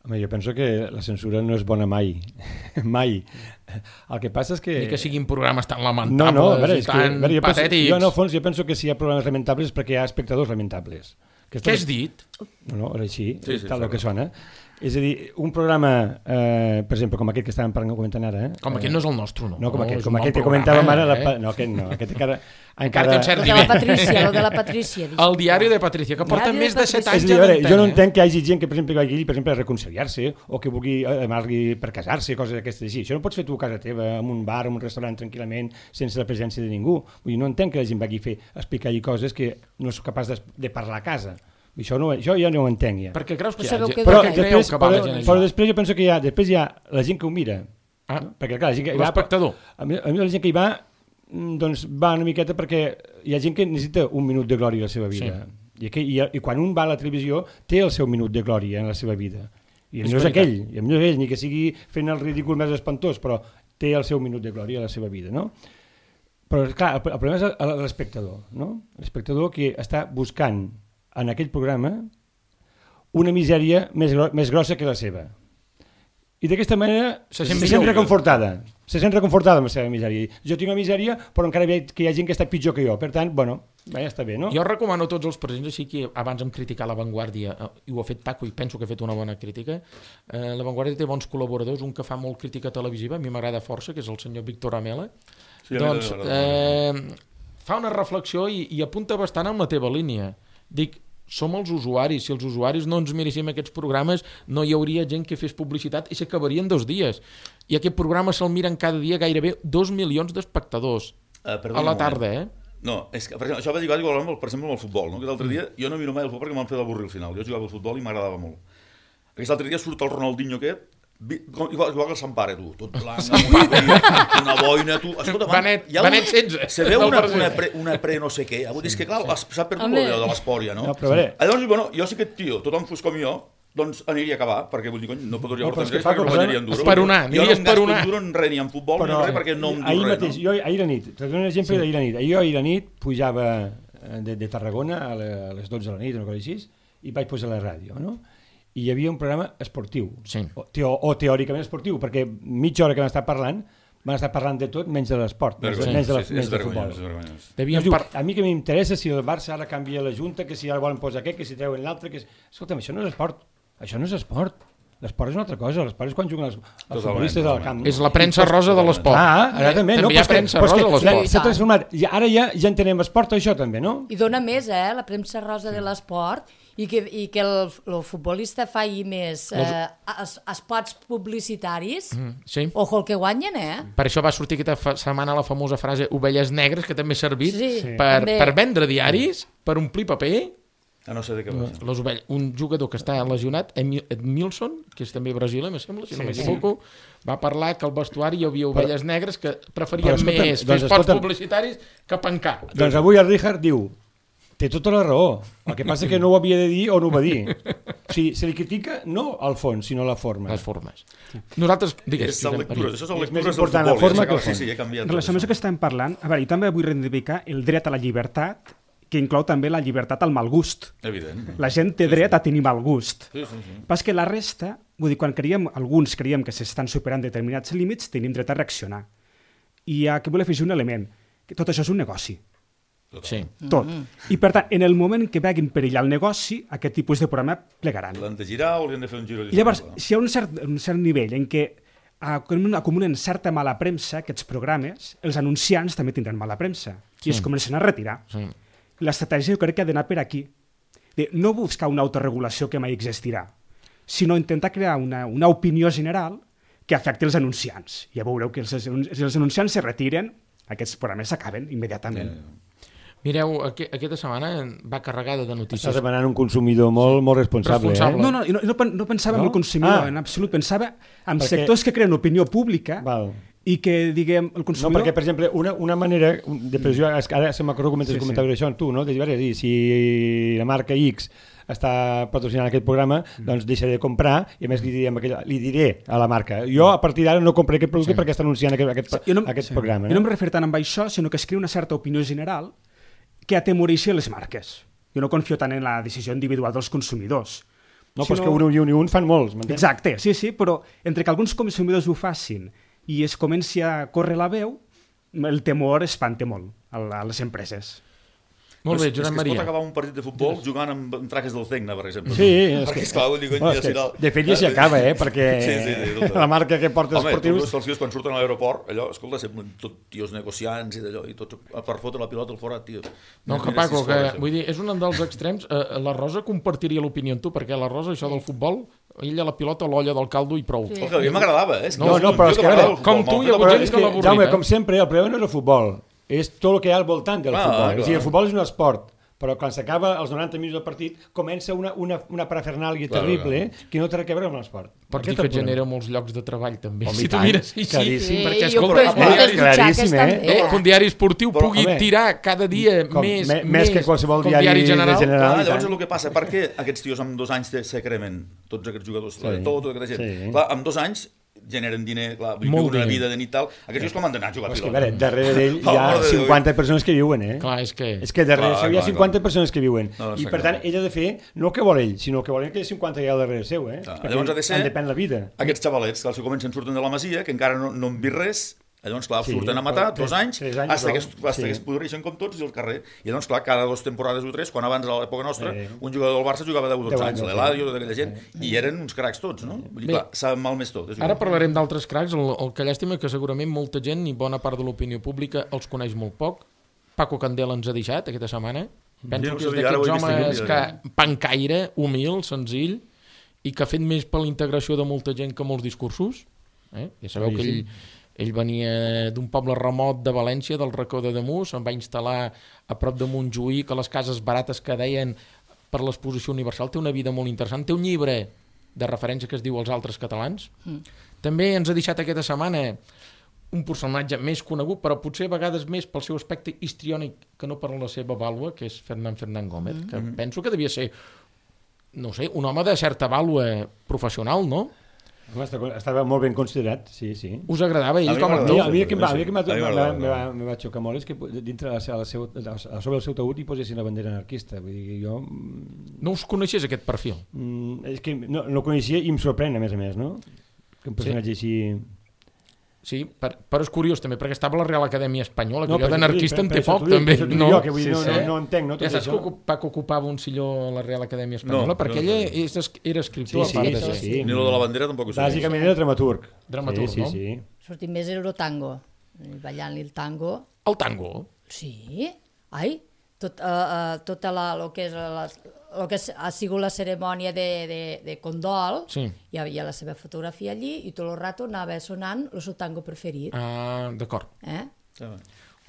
Home, jo penso que la censura no és bona mai. Mai. El que passa és que... Ni que siguin programes tan lamentables i tan patètics. Jo, en el fons, penso que si hi ha programes lamentables és perquè hi ha espectadors lamentables. Què has dit? No, ara així, tal que sona. És a dir, un programa, per exemple, com aquest que estàvem comentant ara... Com aquest no és el nostre, no? No, com aquest que comentàvem ara... No, aquest encara té un cert nivell. Lo de la Patrícia. El diari de Patrícia, que porta més de 7 anys. Jo no entenc que hi hagi gent que, per exemple, vagi allí, per exemple, a reconciliar-se o que vulgui anar-li per casar-se, coses d'aquestes així. Això no pots fer tu a casa teva, en un bar, en un restaurant, tranquil·lament, sense la presència de ningú. Vull dir, no entenc que la gent vagi a explicar-hi coses que no és capaç de parlar a casa. Això ja no ho entenc, ja. Perquè creus que però després jo penso que després hi ha la gent que ho mira. Perquè, clar, l'espectador. A mi la gent que hi va, doncs va una miqueta perquè hi ha gent que necessita un minut de glòria a la seva vida. I quan un va a la televisió té el seu minut de glòria en la seva vida. I no és aquell, ni que sigui fent el ridícul més espantós, però té el seu minut de glòria a la seva vida, no? Però, clar, el problema és l'espectador, no? L'espectador que està buscant en aquell programa una misèria més grossa que la seva. I d'aquesta manera se sent reconfortada. Se sent reconfortada amb la seva misèria. Jo tinc una misèria, però encara veig que hi ha gent que està pitjor que jo. Per tant, ja està bé, no? Jo recomano a tots els presents, així que abans em criticar La Vanguardia, i ho ha fet Paco, i penso que ha fet una bona crítica. La Vanguardia té bons col·laboradors, un que fa molt crítica televisiva, a mi m'agrada força, que és el senyor Víctor Amela. Doncs fa una reflexió i apunta bastant amb la teva línia. Dic, som els usuaris. Si els usuaris no ens miréssim aquests programes, no hi hauria gent que fes publicitat i s'acabarien 2 dies. I aquest programa se'l miren cada dia gairebé 2 milions d'espectadors a la tarda, No, és que, per exemple, això va dir igual, per exemple, amb el futbol, no? Que l'altre dia jo no miro mai el futbol perquè m'han fet avorrir al final. Jo jugava al futbol i m'agradava molt. Aquest altre dia surt el Ronaldinho aquest, igual que el Sampare, tu, tot blanc, una boina, tu... Escolta, Benet 16. Se veu una pre no sé què. És que, clar, s'ha perdut allò de l'esport ja, no? Llavors, bueno, jo sé que aquest tio, tothom fos com jo, doncs aniria a acabar, perquè vull dir, no podria portar res perquè no guanyaria en duro. Jo no em gasto en duro en res, ni en futbol, ni en res, perquè no em dur res. Jo ahir a nit, t'he donat un exemple d'ahir a nit. Jo ahir a nit pujava de Tarragona a les 12 de la nit, una cosa així, i vaig posar la ràdio, no? I hi havia un programa esportiu, o teòricament esportiu, perquè mitja hora que m'està parlant de tot menys de l'esport, menys del futbol. A mi que m'interessa si el Barça ara canvia la junta, que si ara volen posar aquest, que si treuen l'altre... Escolta'm, això no és esport. Això no és esport. L'esport és una altra cosa. L'esport és quan juguen els futbolistes al camp. És la premsa rosa de l'esport. També hi ha premsa rosa de l'esport. S'ha transformat. Ara ja entenem esport, això també, no? I dona més, la premsa rosa de l'esport, i que el futbolista faci més espots publicitaris. Ojo el que guanyen, Per això va sortir aquesta setmana la famosa frase ovelles negres, que també ha servit per vendre diaris, per omplir paper. No sé de què va ser. Un jugador que està lesionat, Edmilson, que és també brasiler, me sembla, si no m'equivoco, va parlar que al vestuari hi havia ovelles negres que preferien més fer espots publicitaris que pencar. Doncs avui el Richard diu, té tota la raó, el que passa que no ho havia de dir o no ho va dir. O sigui, se li critica no al fons, sinó a la forma. Les formes. Nosaltres, digues. Això són lectures del futbol. La forma que el fons. En relació amb això que estem parlant, a veure, jo també vull reivindicar el dret a la llibertat, que inclou també la llibertat al mal gust. Evident. La gent té dret a tenir mal gust. Sí. Pas que la resta, vull dir, quan alguns creiem que s'estan superant determinats límits, tenim dret a reaccionar. I aquí vull afegir un element, que tot això és un negoci. Sí. Tot. I per tant, en el moment que vegin perillar el negoci, aquest tipus de programa plegaran. L'han de girar o li han de fer un giro? I llavors, si hi ha un cert nivell en què acumulen certa mala premsa, aquests programes, els anunciants també tindran mala premsa i es comencen a retirar. L'estratègia jo crec que ha d'anar per aquí. No buscar una autorregulació que mai existirà, sinó intentar crear una opinió general que afecti els anunciants. Ja veureu que si els anunciants se retiren, aquests programes s'acaben immediatament. Mireu, aquesta setmana va carregada de notícies. Estàs demanant un consumidor molt responsable. No pensava en el consumidor, en absolut. Pensava en sectors que creen opinió pública i que, diguem, el consumidor... No, perquè, per exemple, una manera de pressió... Ara se m'acordo que comentaves això amb tu, no? De dir, si la marca X està patrocinant aquest programa, doncs deixaré de comprar i a més li diré a la marca. Jo a partir d'ara no compraré aquest producte perquè està anunciant aquest programa. Jo no em referio tant amb això, sinó que es crea una certa opinió general que atemoreixi les marques. Jo no confio tant en la decisió individual dels consumidors. No, però és que un fan molts, m'entens? Exacte, sí, però entre que alguns consumidors ho facin i es comenci a córrer la veu, el temor espanta molt a les empreses. Molt bé, Josep Maria. Es pot acabar un partit de futbol jugant amb traques del Tecna, per exemple. Sí, perquè esclar, de fet ja s'hi acaba, perquè la marca que porta esportius... Home, els tios quan surten a l'aeroport, allò, escolta, sempre tot tios negociants i d'allò, i tots per fotre la pilota al forat, tio. No, que Paco, vull dir, és un dels extrems. La Rosa compartiria l'opinió amb tu, perquè la Rosa, això del futbol, ella la pilota, l'olla del caldo i prou. A mi m'agradava, eh? No, però és que com tu hi ha hagut gent que l'avorrit. Jaume, com sempre, el problema no és el futbol, és tot el que hi ha al voltant del futbol. És a dir, el futbol és un esport, però quan s'acaba els 90 minuts del partit comença una parafernàlia terrible que no té res a veure amb l'esport. Per dir que genera molts llocs de treball també. Home, si tu mires així, perquè escolta, que un diari esportiu pugui tirar cada dia més que qualsevol diari general. Llavors el que passa, per què aquests tios amb 2 anys se cremen, tots aquests jugadors, tota aquesta gent? Clar, amb 2 anys generen diner, clar, una vida de nit tal. Aquests dius com han d'anar a jugar a pilota? Darrere d'ell hi ha 50 persones que viuen, Clar, és que darrere seu hi ha 50 persones que viuen. I per tant, ell ha de fer no el que vol ell, sinó el que volen que hi ha 50 que hi ha darrere seu, Llavors ha de ser depèn la vida. Aquests xavalets que comencen surten de la masia, que encara no han vist res. Llavors, clar, surten a matar 2 anys, fins que es podreixen com tots i al carrer. I llavors, clar, cada 2 temporades o 3, quan abans a l'època nostra, un jugador del Barça jugava 10 o 12 anys, l'Eladio, d'aquella gent, i eren uns cracs tots, no? Vull dir, clar, s'ha malmès tot. Ara parlarem d'altres cracs, el que llàstima que segurament molta gent i bona part de l'opinió pública els coneix molt poc. Paco Candela ens ha deixat aquesta setmana. Penso que és d'aquests homes que pancaire, humil, senzill, i que ha fet més per la integració de molta gent que molts discursos. Ja sabeu que ell venia d'un poble remot de València, del Racó de Demús, se'n va instal·lar a prop de Montjuïc, a les cases barates que deien per l'exposició universal. Té una vida molt interessant. Té un llibre de referència que es diu Els altres catalans. També ens ha deixat aquesta setmana un personatge més conegut, però potser a vegades més pel seu aspecte histriònic que no per la seva vàlua, que és Fernán Gómez, que penso que devia ser, no sé, un home de certa vàlua professional, no? Estava molt ben considerat, sí. Us agradava ell com a actor? A mi que me va xocar molt és que dintre sobre el seu taüt hi posessin la bandera anarquista. Vull dir, jo... No us coneixies aquest perfil? És que no el coneixia i em sorprèn, a més, no? Que un personatge així... Sí, però és curiós també, perquè estava a la Real Acadèmia Espanyola, que allò d'anarquista en té poc, també. No entenc, no? Ja saps que Paco ocupava un silló a la Real Acadèmia Espanyola, perquè ell era escriptor, a part de ser. Ni lo de la bandera tampoc ho sé. Bàsicament era dramaturg. Dramaturg, no? Sí. Sortim més Eurotango, ballant-li el tango. El tango? Sí. Ai, tota el que ha sigut la cerimònia de condol, hi havia la seva fotografia allí i tot el rato anava sonant el seu tango preferit. Ah, d'acord.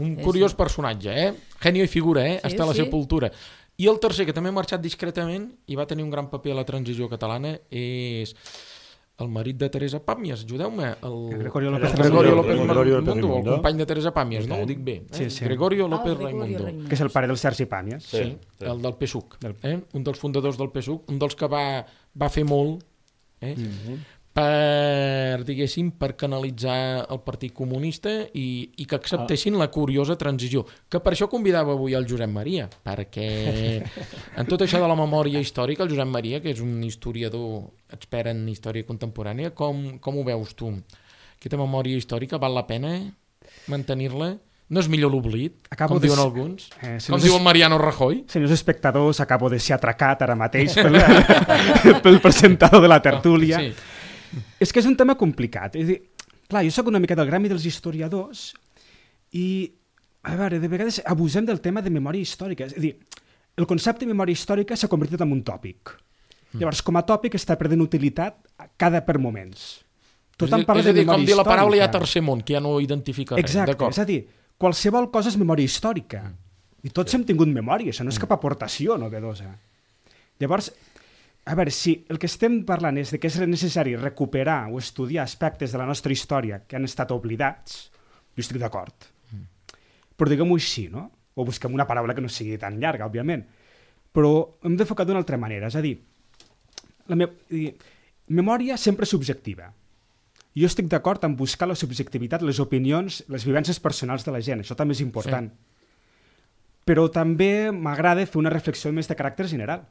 Un curiós personatge, genio i figura, hasta la sepultura. I el tercer, que també ha marxat discretament i va tenir un gran paper a la transició catalana, és el marit de Teresa Pàmies, ajudeu-me. Gregorio López Raimundo, el company de Teresa Pàmies, no? Ho dic bé. Gregorio López Raimundo. Que és el pare del Sergi Pàmies. Sí, el del PSUC. Un dels fundadors del PSUC, un dels que va fer molt per canalitzar el Partit Comunista i que acceptessin la curiosa transició. Que per això convidava avui el Josep Maria, perquè en tot això de la memòria històrica, el Josep Maria, que és un historiador expert en història contemporània, com ho veus tu? Aquesta memòria històrica val la pena mantenir-la? No és millor l'oblit, com diuen alguns? Com diu el Mariano Rajoy? Senyors espectadors, acabo de ser atracat ara mateix pel presentador de la tertúlia. És que és un tema complicat. És a dir, clar, jo soc una mica del gremi dels historiadors i, a veure, de vegades abusem del tema de memòria històrica. És a dir, el concepte de memòria històrica s'ha convertit en un tòpic. Llavors, com a tòpic està perdent utilitat per moments. Tothom parla de memòria històrica. És a dir, com dir la paraula hi ha tercer món, que ja no identifica res. Exacte, és a dir, qualsevol cosa és memòria històrica. I tots hem tingut memòria, això no és cap aportació novedosa. Llavors, a veure, si el que estem parlant és de que és necessari recuperar o estudiar aspectes de la nostra història que han estat oblidats, jo estic d'acord. Però diguem-ho així, no? O busquem una paraula que no sigui tan llarga, òbviament. Però hem d'enfocar d'una altra manera, és a dir, memòria sempre subjectiva. Jo estic d'acord en buscar la subjectivitat, les opinions, les vivències personals de la gent, això també és important. Però també m'agrada fer una reflexió més de caràcter general,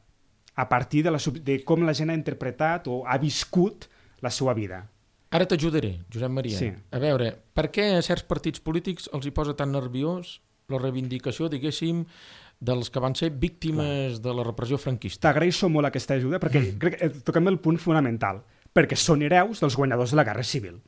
a partir de com la gent ha interpretat o ha viscut la seva vida. Ara t'ajudaré, Josep Maria. A veure, per què a certs partits polítics els hi posa tan nerviós la reivindicació, diguéssim, dels que van ser víctimes de la repressió franquista. T'agraeixo molt aquesta ajuda perquè crec que toquem el punt fonamental, perquè són hereus dels guanyadors de la Guerra Civil.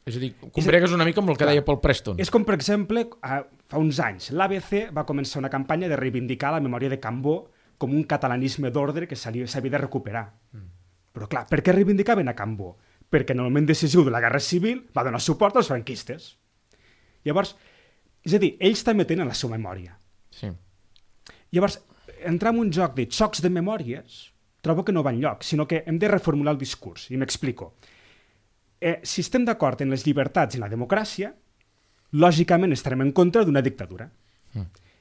És a dir, combregues una mica amb el que deia Paul Preston. És com, per exemple, fa uns anys, l'ABC va començar una campanya de reivindicar la memòria de Cambó com un catalanisme d'ordre que s'havia de recuperar. Però clar, per què reivindicaven a Cambó? Perquè en el moment decisiu de la Guerra Civil va donar suport als franquistes. Llavors, és a dir, ells també tenen la seva memòria. Sí. Llavors, entrar en un joc de xocs de memòries trobo que no va enlloc, sinó que hem de reformular el discurs, i m'explico. Si estem d'acord en les llibertats i en la democràcia, lògicament estarem en contra d'una dictadura.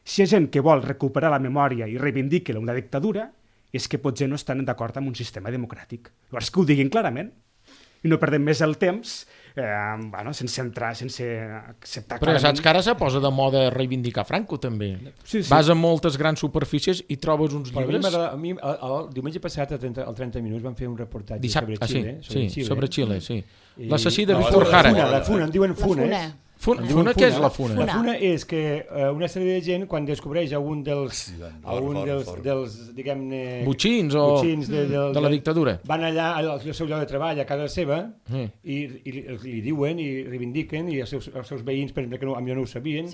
Si hi ha gent que vol recuperar la memòria i reivindica una dictadura, és que potser no estan d'acord amb un sistema democràtic. Llavors, que ho diguin clarament, i no perdem més el temps sense entrar, sense acceptar clarament. Però saps que ara se posa de moda reivindicar Franco, també. Sí. Vas a moltes grans superfícies i trobes uns llibres... A mi, el diumenge passat, al 30 minuts, van fer un reportatge sobre Xile. Sobre Xile, sí. L'assassí de Víctor Jara. La Funa, en diuen Funa. Funa, què és la Funa? La Funa és que una sèrie de gent, quan descobreix algun dels diguem-ne... Butxins de la dictadura. Van allà al seu lloc de treball, a casa seva, i li diuen i reivindiquen, i els seus veïns, per exemple, que potser no ho sabien...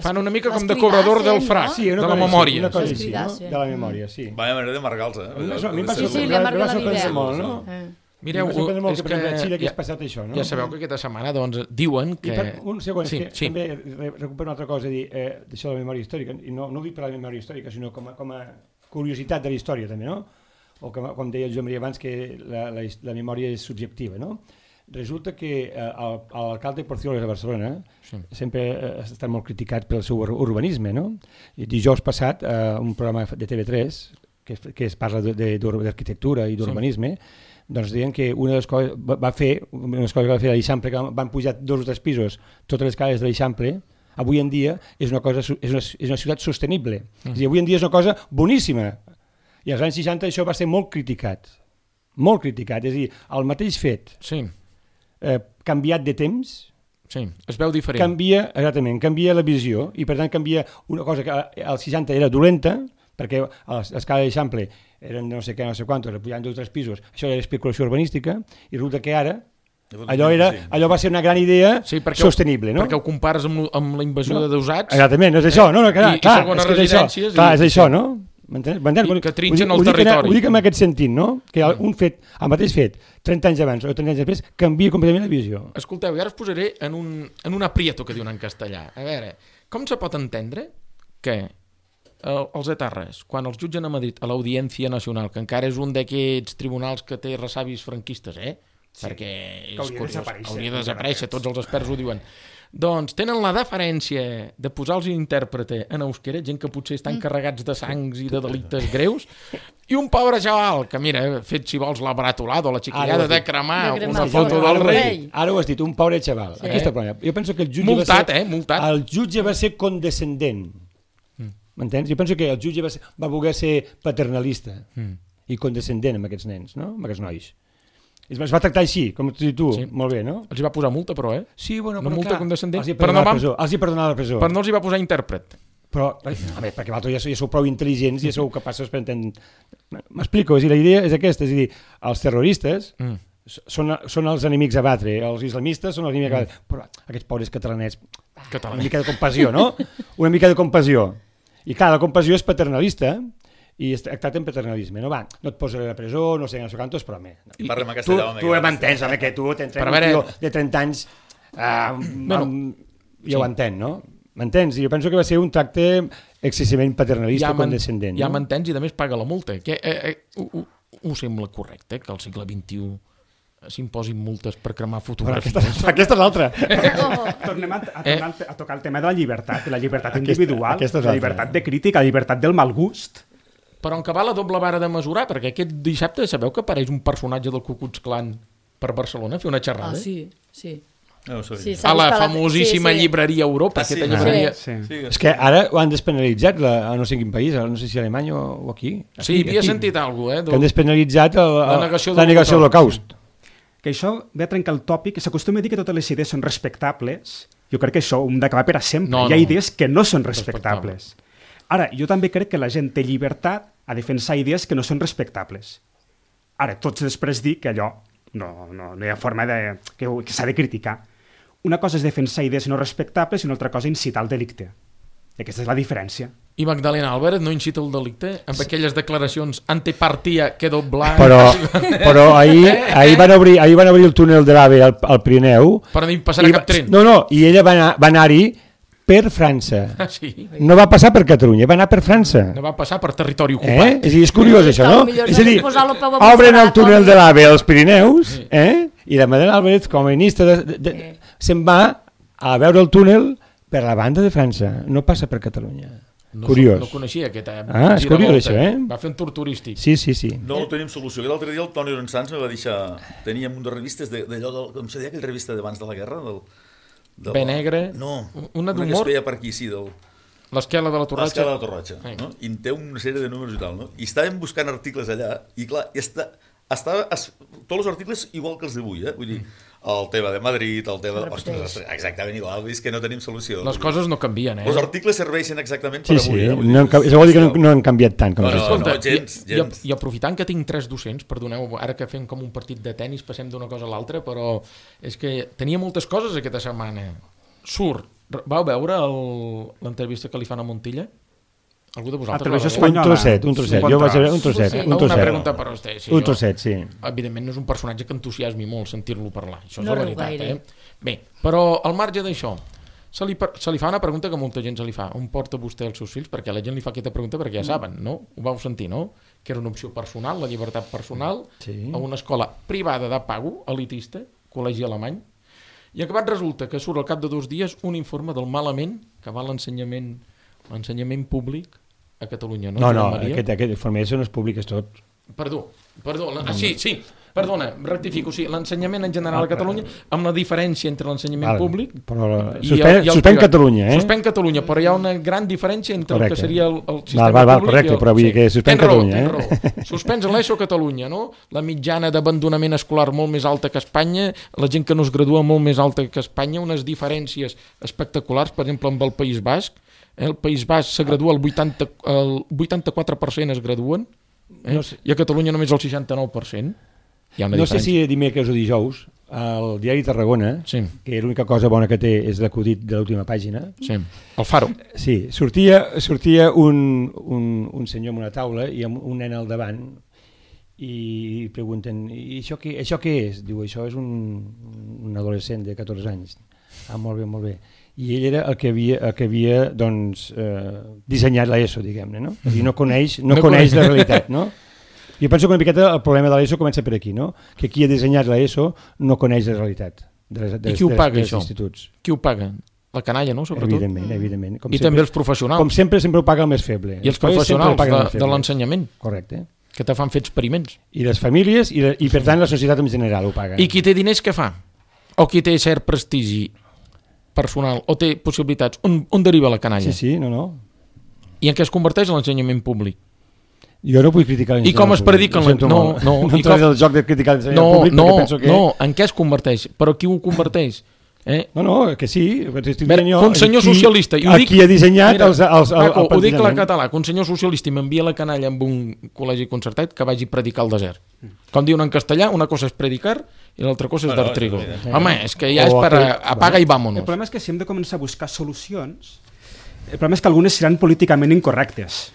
Fan una mica com de cobrador del frac, de la memòria. Una cosa així, de la memòria, sí. Vaya manera de marcar-los, A mi em va sorprendre molt, no? Mireu, és que Xile que has passat això, no? Ja sabeu que aquesta setmana diuen que... Un segon, és que també recupero una altra cosa, d'això de la memòria històrica, i no ho dic per la memòria històrica, sinó com a curiositat de la història, també, no? O com deia el Joan Maria abans, que la memòria és subjectiva, no? Resulta que l'alcalde Porcioles de Barcelona sempre ha estat molt criticat pel seu urbanisme, no? I dijous passat, un programa de TV3, que es parla d'arquitectura i d'urbanisme, doncs deien que una de les coses va fer a l'Eixample, que van pujar 2 o 3 pisos, totes les cases de l'Eixample, avui en dia és una ciutat sostenible. És a dir, avui en dia és una cosa boníssima. I als anys 60 això va ser molt criticat. Molt criticat. És a dir, el mateix fet canviat de temps, es veu diferent. Canvia la visió, i per tant canvia una cosa que als 60 era dolenta, perquè a l'escala d'Eixample eren no sé què, no sé quantos, pujant 2 o 3 pisos, això era especulació urbanística, i resulta que ara allò va ser una gran idea sostenible, no? Perquè ho compares amb la invasió de deusats. Exactament, és això, no? És això, no? Que trinxen el territori. Ho dic en aquest sentit, no? Que un fet, el mateix fet, 30 anys abans o 30 anys després, canvia completament la visió. Escolteu, i ara us posaré en un aprieto, que diuen en castellà. A veure, com se pot entendre que els etarres, quan els jutgen a Madrid, a l'Audiència Nacional, que encara és un d'aquests tribunals que té ressavis franquistes, perquè hauria de desaparèixer, tots els experts ho diuen, doncs tenen la deferència de posar-los intèrprete en euskera, gent que potser estan carregats de sangs i de delictes greus, i un pobre xaval que, mira, fet, si vols, la baratolada o la xiquillada de cremar una foto del rei. Ara ho has dit, un pobre xaval. Jo penso que el jutge va ser condescendent. M'entens? Jo penso que el jutge va voler ser paternalista i condescendent amb aquests nens, no? Amb aquests nois. Es va tractar així, com tu, molt bé, no? Els hi va posar multa, però, Sí, bueno, però multa condescendent. Els hi perdonava la presó. Però no els hi va posar intèrpret. Però, perquè vosaltres ja sou prou intel·ligents i ja sou capaços per entendre... M'explico, la idea és aquesta, és a dir, els terroristes són els enemics a batre, els islamistes són els enemics a batre, però aquests pobres catalanets, una mica de compassió, no? Una mica de compassió. I clar, la compassió és paternalista i es tracta en paternalisme. No et posaré a la presó, no sé quantos, però tu m'entens, que tu t'entrem un tio de 30 anys ja ho entén, no? M'entens? Jo penso que va ser un tracte excessivament paternalista, condescendent. Ja m'entens i a més paga la multa. Ho sembla correcte que al segle XXI s'imposin multes per cremar fotografies. Aquesta és l'altra. Tornem a tocar el tema de la llibertat individual, la llibertat de crítica, la llibertat del mal gust. Però en què va la doble vara de mesurar? Perquè aquest dissabte sabeu que apareix un personatge del Ku Klux Klan per Barcelona a fer una xerrada? Sí. A la famosíssima llibreria Europa. És que ara ho han despenalitzat a no sé quin país, no sé si a Alemanya o aquí. Sí, havia sentit alguna cosa. Que han despenalitzat la negació de l'Holocaust. Que això ve a trencar el tòpic, que s'acostuma a dir que totes les idees són respectables. Jo crec que això ho hem d'acabar per a sempre. Hi ha idees que no són respectables. Ara, jo també crec que la gent té llibertat a defensar idees que no són respectables. Ara, tots després dic que allò no hi ha forma que s'ha de criticar. Una cosa és defensar idees no respectables i una altra cosa incitar al delicte. I aquesta és la diferència. I Magdalena Álvarez no incita el delicte amb aquelles declaracions antipartia que doblar... Però ahir van obrir el túnel de l'AVE al Pirineu... Per no passar cap tren. No, i ella va anar-hi per França. Sí. No va passar per Catalunya, va anar per França. No va passar per territori ocupat. És a dir, és curiós això, no? És a dir, obren el túnel de l'AVE als Pirineus, i la Magdalena Álvarez, com a ministra, se'n va a veure el túnel per la banda de França, no passa per Catalunya. Curiós. No coneixia aquest és curiós això, Va fer un tour turístic. Sí. No tenim solució. L'altre dia el Toni Lorenzans me va deixar... Teníem un de revistes d'allò, com se deia aquella revista d'abans de la guerra? Bé negre? No, una que es feia per aquí, sí, l'Esquela de la Torratxa. L'Esquela de la Torratxa, no? I en té una sèrie de números i tal, no? I estàvem buscant articles allà, i clar, tots els articles igual que els d'avui, Vull dir, el tema de Madrid, el tema... Ostres, exactament igual, és que no tenim solució. Les coses no canvien, Els articles serveixen exactament per avui, això vol dir que no han canviat tant. No, gens. I aprofitant que tinc 3 docents, perdoneu, ara que fem com un partit de tennis, passem d'una cosa a l'altra, però és que tenia moltes coses aquesta setmana. Vau veure l'entrevista que li fan a Montilla? Algú de vosaltres? Un trosset. Jo vaig veure un trosset. Una pregunta per vostè. Un trosset, sí. Evidentment no és un personatge que entusiasmi molt sentir-lo parlar. Això és la veritat. Bé, però al marge d'això, se li fa una pregunta que molta gent se li fa. On porta vostè els seus fills? Perquè la gent li fa aquesta pregunta perquè ja saben, no? Ho vau sentir, no? Que era una opció personal, la llibertat personal, a una escola privada de pago, elitista, col·legi alemany, i acabat resulta que surt al cap de 2 dies un informe del malament que va l'ensenyament públic a Catalunya, no? No, aquest informe no és públic, és tot. Perdó. Sí, perdona, rectifico, sí, l'ensenyament en general a Catalunya, amb la diferència entre l'ensenyament públic suspèn Catalunya, Suspèn Catalunya, però hi ha una gran diferència entre el que seria el sistema públic. Correcte, però vull dir que suspèn Catalunya. Suspens l'ESO a Catalunya, no? La mitjana d'abandonament escolar molt més alta que a Espanya, la gent que no es gradua molt més alta que a Espanya, unes diferències espectaculars, per exemple, amb el País Basc. El País Basc se gradua, el 84% es graduen, i a Catalunya només el 69%. No sé si dimecres o dijous, el diari Tarragona, que l'única cosa bona que té és l'acudit de l'última pàgina. Sí, el Faro. Sí, sortia un senyor en una taula i amb un nen al davant i pregunten, i això què és? Diu, això és un adolescent de 14 anys. Molt bé. I ell era el que havia dissenyat l'ESO, diguem-ne, no? I no coneix la realitat, no? Jo penso que una miqueta el problema de l'ESO comença per aquí, no? Que qui ha dissenyat l'ESO no coneix la realitat I qui ho paga, això? Qui ho paga? La canalla, no? Sobretot. Evidentment. I també els professionals. Com sempre ho paga el més feble. I els professionals de l'ensenyament. Correcte. Que te fan fer experiments. I les famílies i per tant la societat en general ho paga. I qui té diners què fa? O qui té cert prestigi personal o té possibilitats, on deriva la canalla? Sí, no. I en què es converteix l'ensenyament públic? Jo no vull criticar l'ensenyament públic. I com es predica no entraré del joc de criticar l'ensenyament públic perquè penso que... No, en què es converteix? Però qui ho converteix? No, que sí. Un senyor socialista... Qui ha dissenyat el ho dic en català, que un senyor socialista m'envia la canalla amb un col·legi concertat que vagi a predicar al desert. Com diuen en castellà, una cosa és predicar i l'altra cosa és dar trigo. Home, és que ja és per apaga i vámonos. El problema és que si hem de començar a buscar solucions, el problema és que algunes seran políticament incorrectes.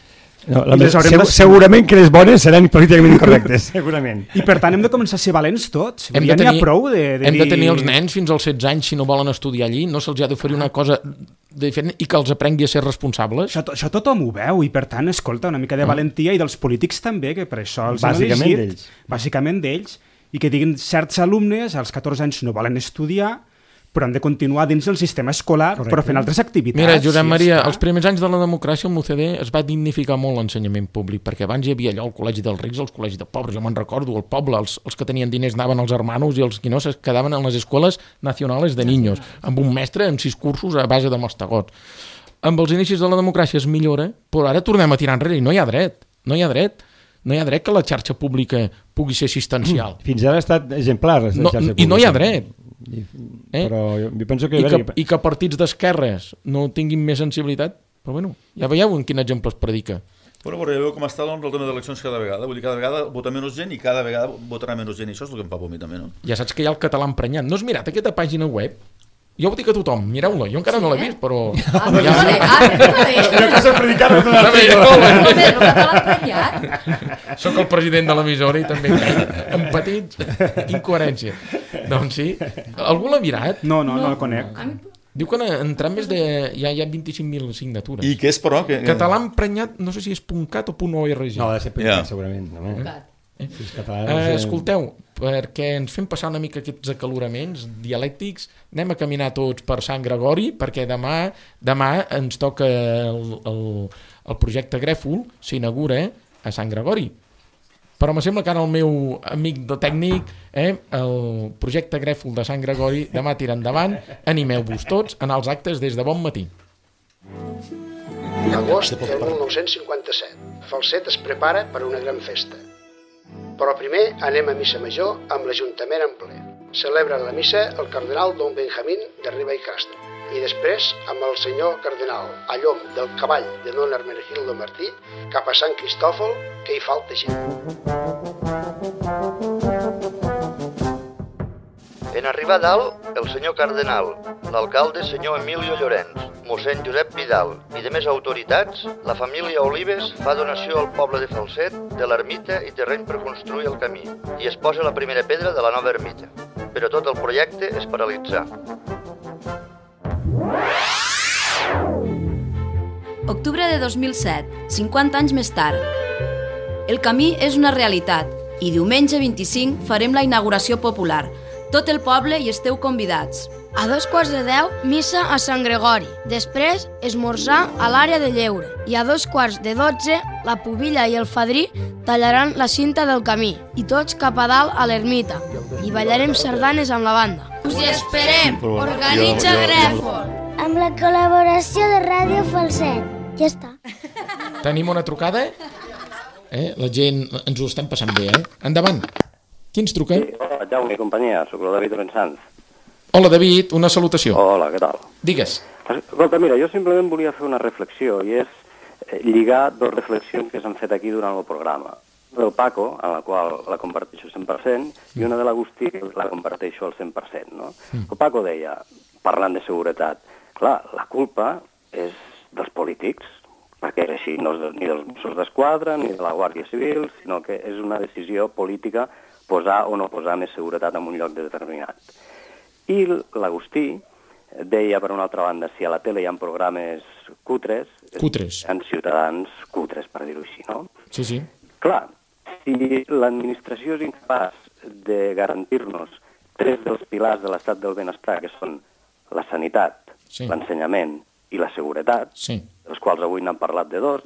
Segurament que les bones seran políticament incorrectes, segurament. I per tant hem de començar a ser valents tots. Hem de tenir els nens fins als 16 anys si no volen estudiar allí, no se'ls ha d'oferir una cosa diferent i que els aprengui a ser responsables. Això tothom ho veu i per tant, escolta, una mica de valentia i dels polítics també, que per això els han elegit. Bàsicament d'ells. I que diguin certs alumnes als 14 anys no volen estudiar, però han de continuar dins del sistema escolar, però fent altres activitats. Mira, Josep Maria, els primers anys de la democràcia el MUCD es va dignificar molt l'ensenyament públic, perquè abans hi havia allò el col·legi dels rics, el col·legi de pobres, jo me'n recordo, el poble, els que tenien diners anaven als hermanos i els que no es quedaven en les escoles nacionals de niños, amb un mestre amb 6 cursos a base de mastegots. Amb els inicis de la democràcia es millora, però ara tornem a tirar enrere i no hi ha dret que la xarxa pública pugui ser assistencial. Fins ara ha estat exemplar la xarxa pública. I no hi ha dret. Però jo penso que... I que partits d'esquerres no tinguin més sensibilitat, Però bueno, ja veieu en quin exemple es predica. Bueno, ja veu com està el tema d'eleccions cada vegada. Vull dir, cada vegada vota menys gent i cada vegada votarà menys gent. I això és el que em fa por a mi també, no? Ja saps que hi ha el català emprenyat. No has mirat aquesta pàgina web? Jo ho dic a tothom, mireu-la. Jo encara no l'he vist, però... que s'ha predicat no l'ha el català emprenyat. Soc el president de l'emissora i també amb petits incoherència. Doncs sí. Algú l'ha mirat? No el conec. Diu que han entrat més de... Ja hi ha 25.000 signatures. I què és, però? Català emprenyat, no sé si és .cat o .org. No, ha de ser .cat, segurament. Escolteu, perquè ens fem passar una mica aquests acaloraments dialèctics, anem a caminar tots per Sant Gregori, perquè demà ens toca el projecte Grèfol, s'inaugura a Sant Gregori. Però me sembla que ara el meu amic de tècnic, el projecte Grèfol de Sant Gregori, demà tira endavant, animeu-vos tots a anar als actes des de bon matí. Agost del 1957. Falset es prepara per una gran festa. Però primer anem a missa major amb l'Ajuntament en ple. Celebra la missa el cardenal Don Benjamín de Riba i Castro. I després amb el senyor cardenal a llom del cavall de Don Hermenegildo Martí cap a Sant Cristòfol, que hi falta gent. En arribar a dalt, el senyor cardenal, l'alcalde senyor Emilio Llorenç, mossèn Josep Vidal i de més autoritats, la família Olives fa donació al poble de Falset de l'ermita i terreny per construir el camí i es posa la primera pedra de la nova ermita. Però tot el projecte es paralitzà. Octubre de 2007, 50 anys més tard. El camí és una realitat i diumenge 25 farem la inauguració popular. Tot el poble hi esteu convidats. A 2:15, missa a Sant Gregori. Després, esmorzar a l'àrea de lleure. I a 2:12, la pubilla i el fadrí tallaran la cinta del camí. I tots cap a dalt a l'ermita. I ballarem sardanes amb la banda. Us hi esperem! Organitza Grèfol! Amb la col·laboració de Ràdio Falset. Ja està. Tenim una trucada? La gent ens ho estem passant bé, Endavant. Qui ens truca? Sí, hola, Jaume i companyia, soc el David Orensanz. Hola, David, una salutació. Hola, què tal? Digues. Escolta, mira, jo simplement volia fer una reflexió, i és lligar dues reflexions que s'han fet aquí durant el programa. Del Paco, en la qual la comparteixo al 100%, i una de l'Agustí, que la comparteixo al 100%, no? El Paco deia, parlant de seguretat, clar, la culpa és dels polítics, perquè és així, no és ni dels Mossos d'Esquadra ni de la Guàrdia Civil, sinó que és una decisió política posar o no posar més seguretat en un lloc determinat. I l'Agustí deia, per una altra banda, si a la tele hi ha programes cutres, hi ha ciutadans cutres, per dir-ho així, no? Sí, sí. Clar, si l'administració és incapaç de garantir-nos tres dels pilars de l'estat del benestar, que són la sanitat, l'ensenyament i la seguretat, dels quals avui n'han parlat de dos,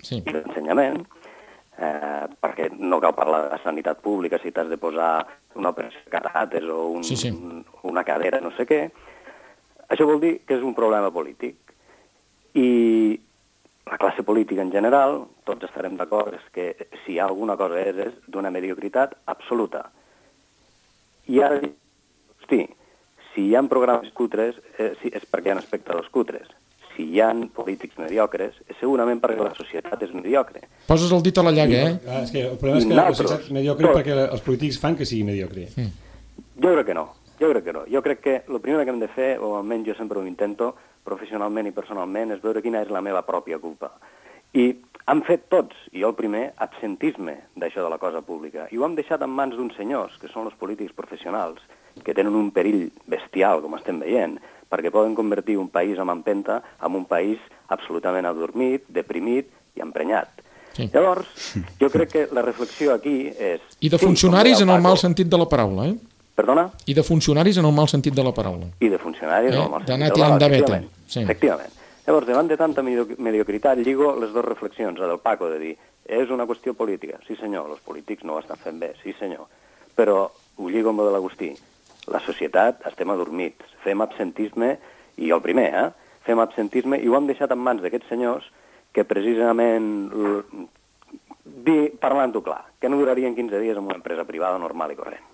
i l'ensenyament, perquè no cal parlar de la sanitat pública si t'has de posar una operació de catàters o una cadera, no sé què. Això vol dir que és un problema polític. I la classe política en general, tots estarem d'acord, és que si hi ha alguna cosa és d'una mediocritat absoluta. I ara, hosti, si hi ha programes cutres és perquè hi ha espectadors cutres. Si hi ha polítics mediocres, és segurament perquè la societat és mediocre. Poses el dit a la llaga, És que el problema és que la societat és mediocre perquè els polítics fan que sigui mediocre. Jo crec que no. Jo crec que el primer que hem de fer, o almenys jo sempre ho intento, professionalment i personalment, és veure quina és la meva pròpia culpa. I han fet tots, i jo el primer, absentisme d'això de la cosa pública. I ho hem deixat en mans d'uns senyors, que són els polítics professionals, que tenen un perill bestial, com estem veient, perquè poden convertir un país amb empenta en un país absolutament adormit, deprimit i emprenyat. Llavors, jo crec que la reflexió aquí és... I de funcionaris en el mal sentit de la paraula, Perdona? I de funcionaris en el mal sentit de la paraula. I de funcionaris en el mal sentit de la paraula, efectivament. Llavors, davant de tanta mediocritat, lligo les dues reflexions, la del Paco, de dir, és una qüestió política. Sí, senyor, els polítics no ho estan fent bé, sí, senyor. Però ho lligo amb el de l'Agustí. La societat estem adormits, fem absentisme, i el primer, fem absentisme, i ho hem deixat en mans d'aquests senyors que precisament, parlant-ho clar, que no durarien 15 dies en una empresa privada normal i corrent.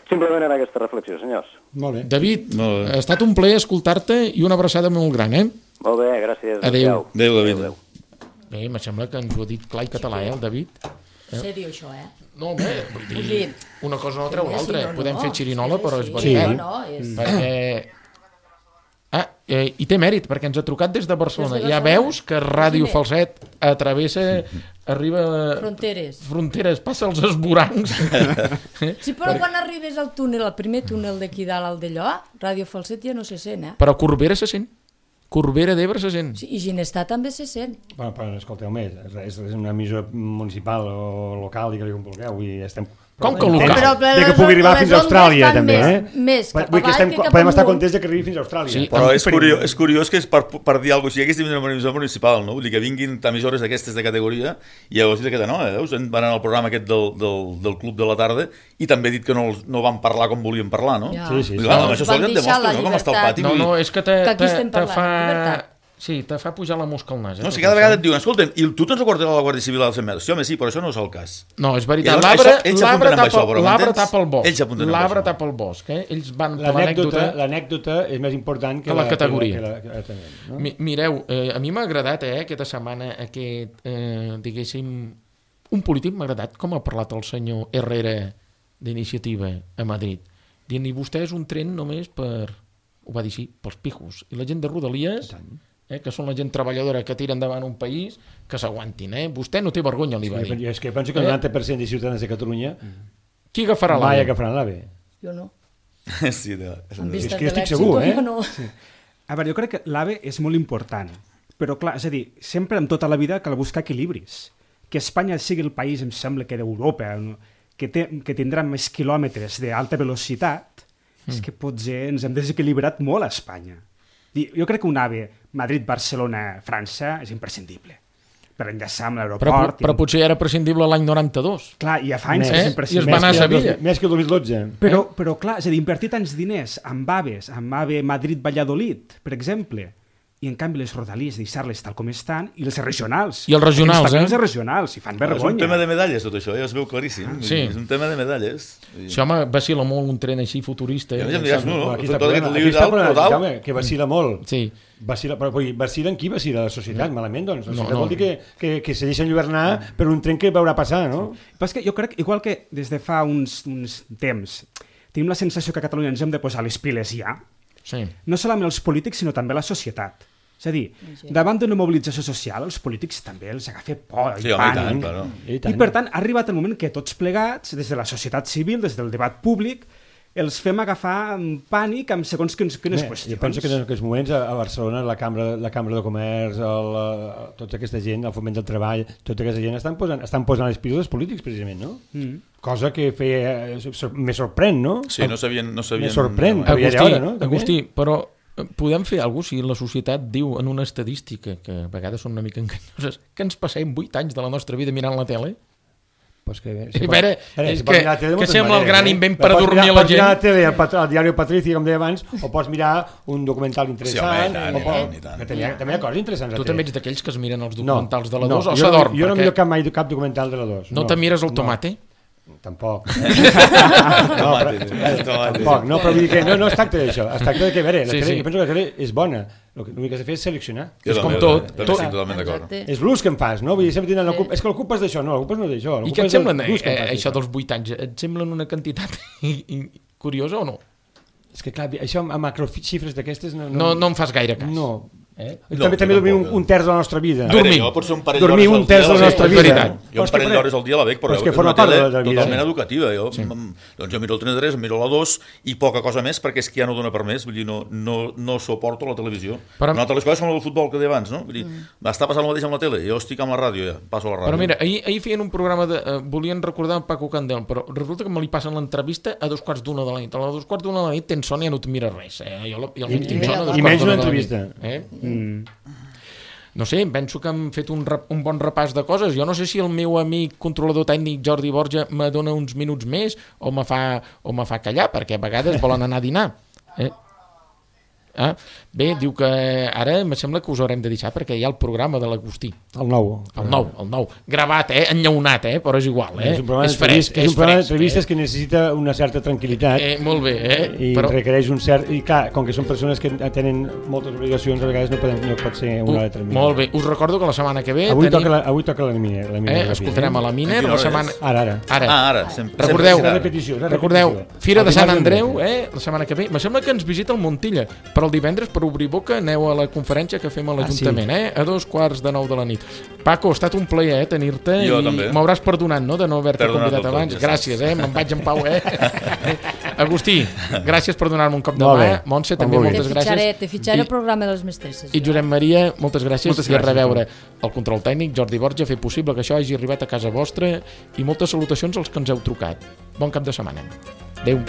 Simplement era aquesta reflexió, senyors. Molt bé. David, ha estat un plaer escoltar-te i una abraçada molt gran, Molt bé, gràcies. Adéu. Adéu, David. Bé, me sembla que ens ho ha dit clar i català, el David. Sèrio, això, No, home, vull dir, una cosa no treu l'altra. Podem fer xirinola, però és veritat. Perquè... I té mèrit, perquè ens ha trucat des de Barcelona. Ja veus que Ràdio Falset arriba... Fronteres, passa els esvorancs. Sí, però quan arribes al túnel, el primer túnel d'aquí dalt, al d'allò, Ràdio Falset ja no se sent, Però Corbera se sent. Corbera d'Ebre se sent. Sí, i Ginestar també se sent. Bueno, però escolteu més, és una emissora municipal o local, digue-li com vulgueu, i estem... Com que local? Que pugui arribar fins a Austràlia, també, Més cap avall que cap podem estar contents que arribi fins a Austràlia. Sí, però és curiós que és per dir alguna cosa, si hagués una emissora municipal, no? Vull dir que vinguin emissores d'aquestes de categoria, i llavors dit que no, veus? Van anar al programa aquest del Club de la Tarda i també he dit que no van parlar com volien parlar, no? Sí. Amb això sols et demostra, no? Com està el pati. No, és que te fa... Sí, te fa pujar la mosca al nas. No, si cada vegada et diuen, escolta'm, i tu te'ns recordes la Guàrdia Civil als 100 metres? Sí, home, sí, però això no és el cas. No, és veritat. L'arbre tapa el bosc. Ells van per l'anècdota. L'anècdota és més important que la categoria. Mireu, a mi m'ha agradat aquesta setmana diguéssim, un polític m'ha agradat com ha parlat el senyor Herrera d'Iniciativa a Madrid. Dient, i vostè és un tren només per... Ho va dir així, pels pijos. I la gent de Rodalies... que són la gent treballadora que tira endavant un país, que s'aguantin. Vostè no té vergonya, li va dir. És que penso que el 90% de ciutadans de Catalunya... Qui agafarà l'AVE? Mai agafaran l'AVE. Jo no. Sí, és que jo estic segur, No. A veure, jo crec que l'AVE és molt important, però clar, és a dir, sempre en tota la vida cal buscar equilibris. Que Espanya sigui el país, em sembla que d'Europa, que tindrà més quilòmetres d'alta velocitat, és que potser ens hem desequilibrat molt a Espanya. Jo crec que un AVE Madrid-Barcelona-França és imprescindible per enllaçar amb l'aeroport. Però potser era prescindible l'any 92. Clar, i ja fa anys que és imprescindible. I es va anar a Sevilla. Més que el 2012. Però clar, és a dir, invertir tants diners amb AVEs, amb AVE Madrid-Valladolid, per exemple, i en canvi les rodalies deixar-les tal com estan, i els regionals. I els regionals, els regionals, i fan vergonya. És un tema de medalles, tot això, ja es veu claríssim. Sí. És un tema de medalles. Sí, home, vacila molt un tren així futurista. Ja em diràs, aquí està el que vacila molt. Sí. Però vacila en qui vacila? La societat, malament, doncs. La societat vol dir que se deixen lluernar per un tren que veurà passar, no? Però és que jo crec, igual que des de fa uns temps, tenim la sensació que a Catalunya ens hem de posar les piles ja, no solament els polítics, sinó també la societat. És a dir, davant d'una mobilització social, els polítics també els agafa por i pànic. I per tant, ha arribat el moment que tots plegats, des de la societat civil, des del debat públic, els fem agafar pànic amb segons quines qüestions. Jo penso que en aquests moments a Barcelona la Cambra de Comerç, tota aquesta gent, el Foment del Treball, tota aquesta gent estan posant les piles dels polítics, precisament, no? Cosa que me sorprèn, no? Sí, no sabien... Me sorprèn, Agustí, però podem fer alguna cosa si la societat diu en una estadística, que a vegades són una mica enganyoses, que ens passem 8 anys de la nostra vida mirant la tele? Pues que sembla el gran invent per adormir la gent. Pots mirar la tele, al diari Patricia, com deia abans, o pots mirar un documental interessant. També hi ha coses interessants. Tu també ets d'aquells que es miren els documentals de la 2 o s'adorm? Jo no miro mai cap documental de la 2. No te mires el tomate? Tampoc. Tampoc, no, però vull dir que no es tracta d'això. Es tracta de que, a veure, jo penso que la tele és bona. L'únic que has de fer és seleccionar. És com tot. Totalment d'acord. És l'ús que em fas, no? Vull dir, sempre tenen és que l'ocupes d'això, no, l'ocupes no d'això. I què et sembla això dels 8 anys? Et semblen una quantitat curiosa o no? És que clar, això amb macroxifres d'aquestes... No em fas gaire cas. No. També dormir un terç de la nostra vida. Dormir un terç de la nostra vida. Jo un parell d'hores al dia la veig, però és una tele totalment educativa. Jo miro el 33, miro la 2 i poca cosa més, perquè és que ja no dona per més. Vull dir, no suporto la televisió. Una altra de les coses com el futbol que deia abans, no? Vull dir, està passant el mateix amb la tele. Jo estic amb la ràdio, ja, passo a la ràdio. Però mira, ahir feien un programa volien recordar Paco Candel, però resulta que me li passen l'entrevista a 2:45 de la nit. A les 2:45 de la nit tens son i ja no et mires res. I menys una entrevista. No sé, penso que hem fet un bon repàs de coses. Jo no sé si el meu amic controlador tècnic Jordi Borja me dona uns minuts més o me fa callar, perquè a vegades volen anar a dinar. Bé, diu que ara me sembla que us haurem de deixar perquè hi ha el programa de l'Agustí. El nou. Gravat, enllaunat, però és igual, És un programa d'entrevistes que necessita una certa tranquil·litat. Molt bé, I requereix un cert... I clar, com que són persones que tenen moltes obligacions, a vegades no pot ser una hora determinada. Molt bé, us recordo que la setmana que ve... Avui toca la Miner. Escoltarem a la Miner. Ara. Recordeu, Fira de Sant Andreu, la setmana que ve. Me sembla que ens visita el Montilla, però el divendres, per obrir boca, aneu a la conferència que fem a l'Ajuntament, a 2:15 de la nit. Paco, ha estat un plaer tenir-te. Jo també. M'hauràs perdonat, no?, de no haver-te convidat abans. Gràcies, me'n vaig en pau, Agustí, gràcies per donar-me un cop de mà. Montse, també moltes gràcies. Te fitxaré el programa de les mestresses. I Josep Maria, moltes gràcies. I a reveure el control tècnic, Jordi Borja, fer possible que això hagi arribat a casa vostra, i moltes salutacions als que ens heu trucat. Bon cap de setmana. Adéu.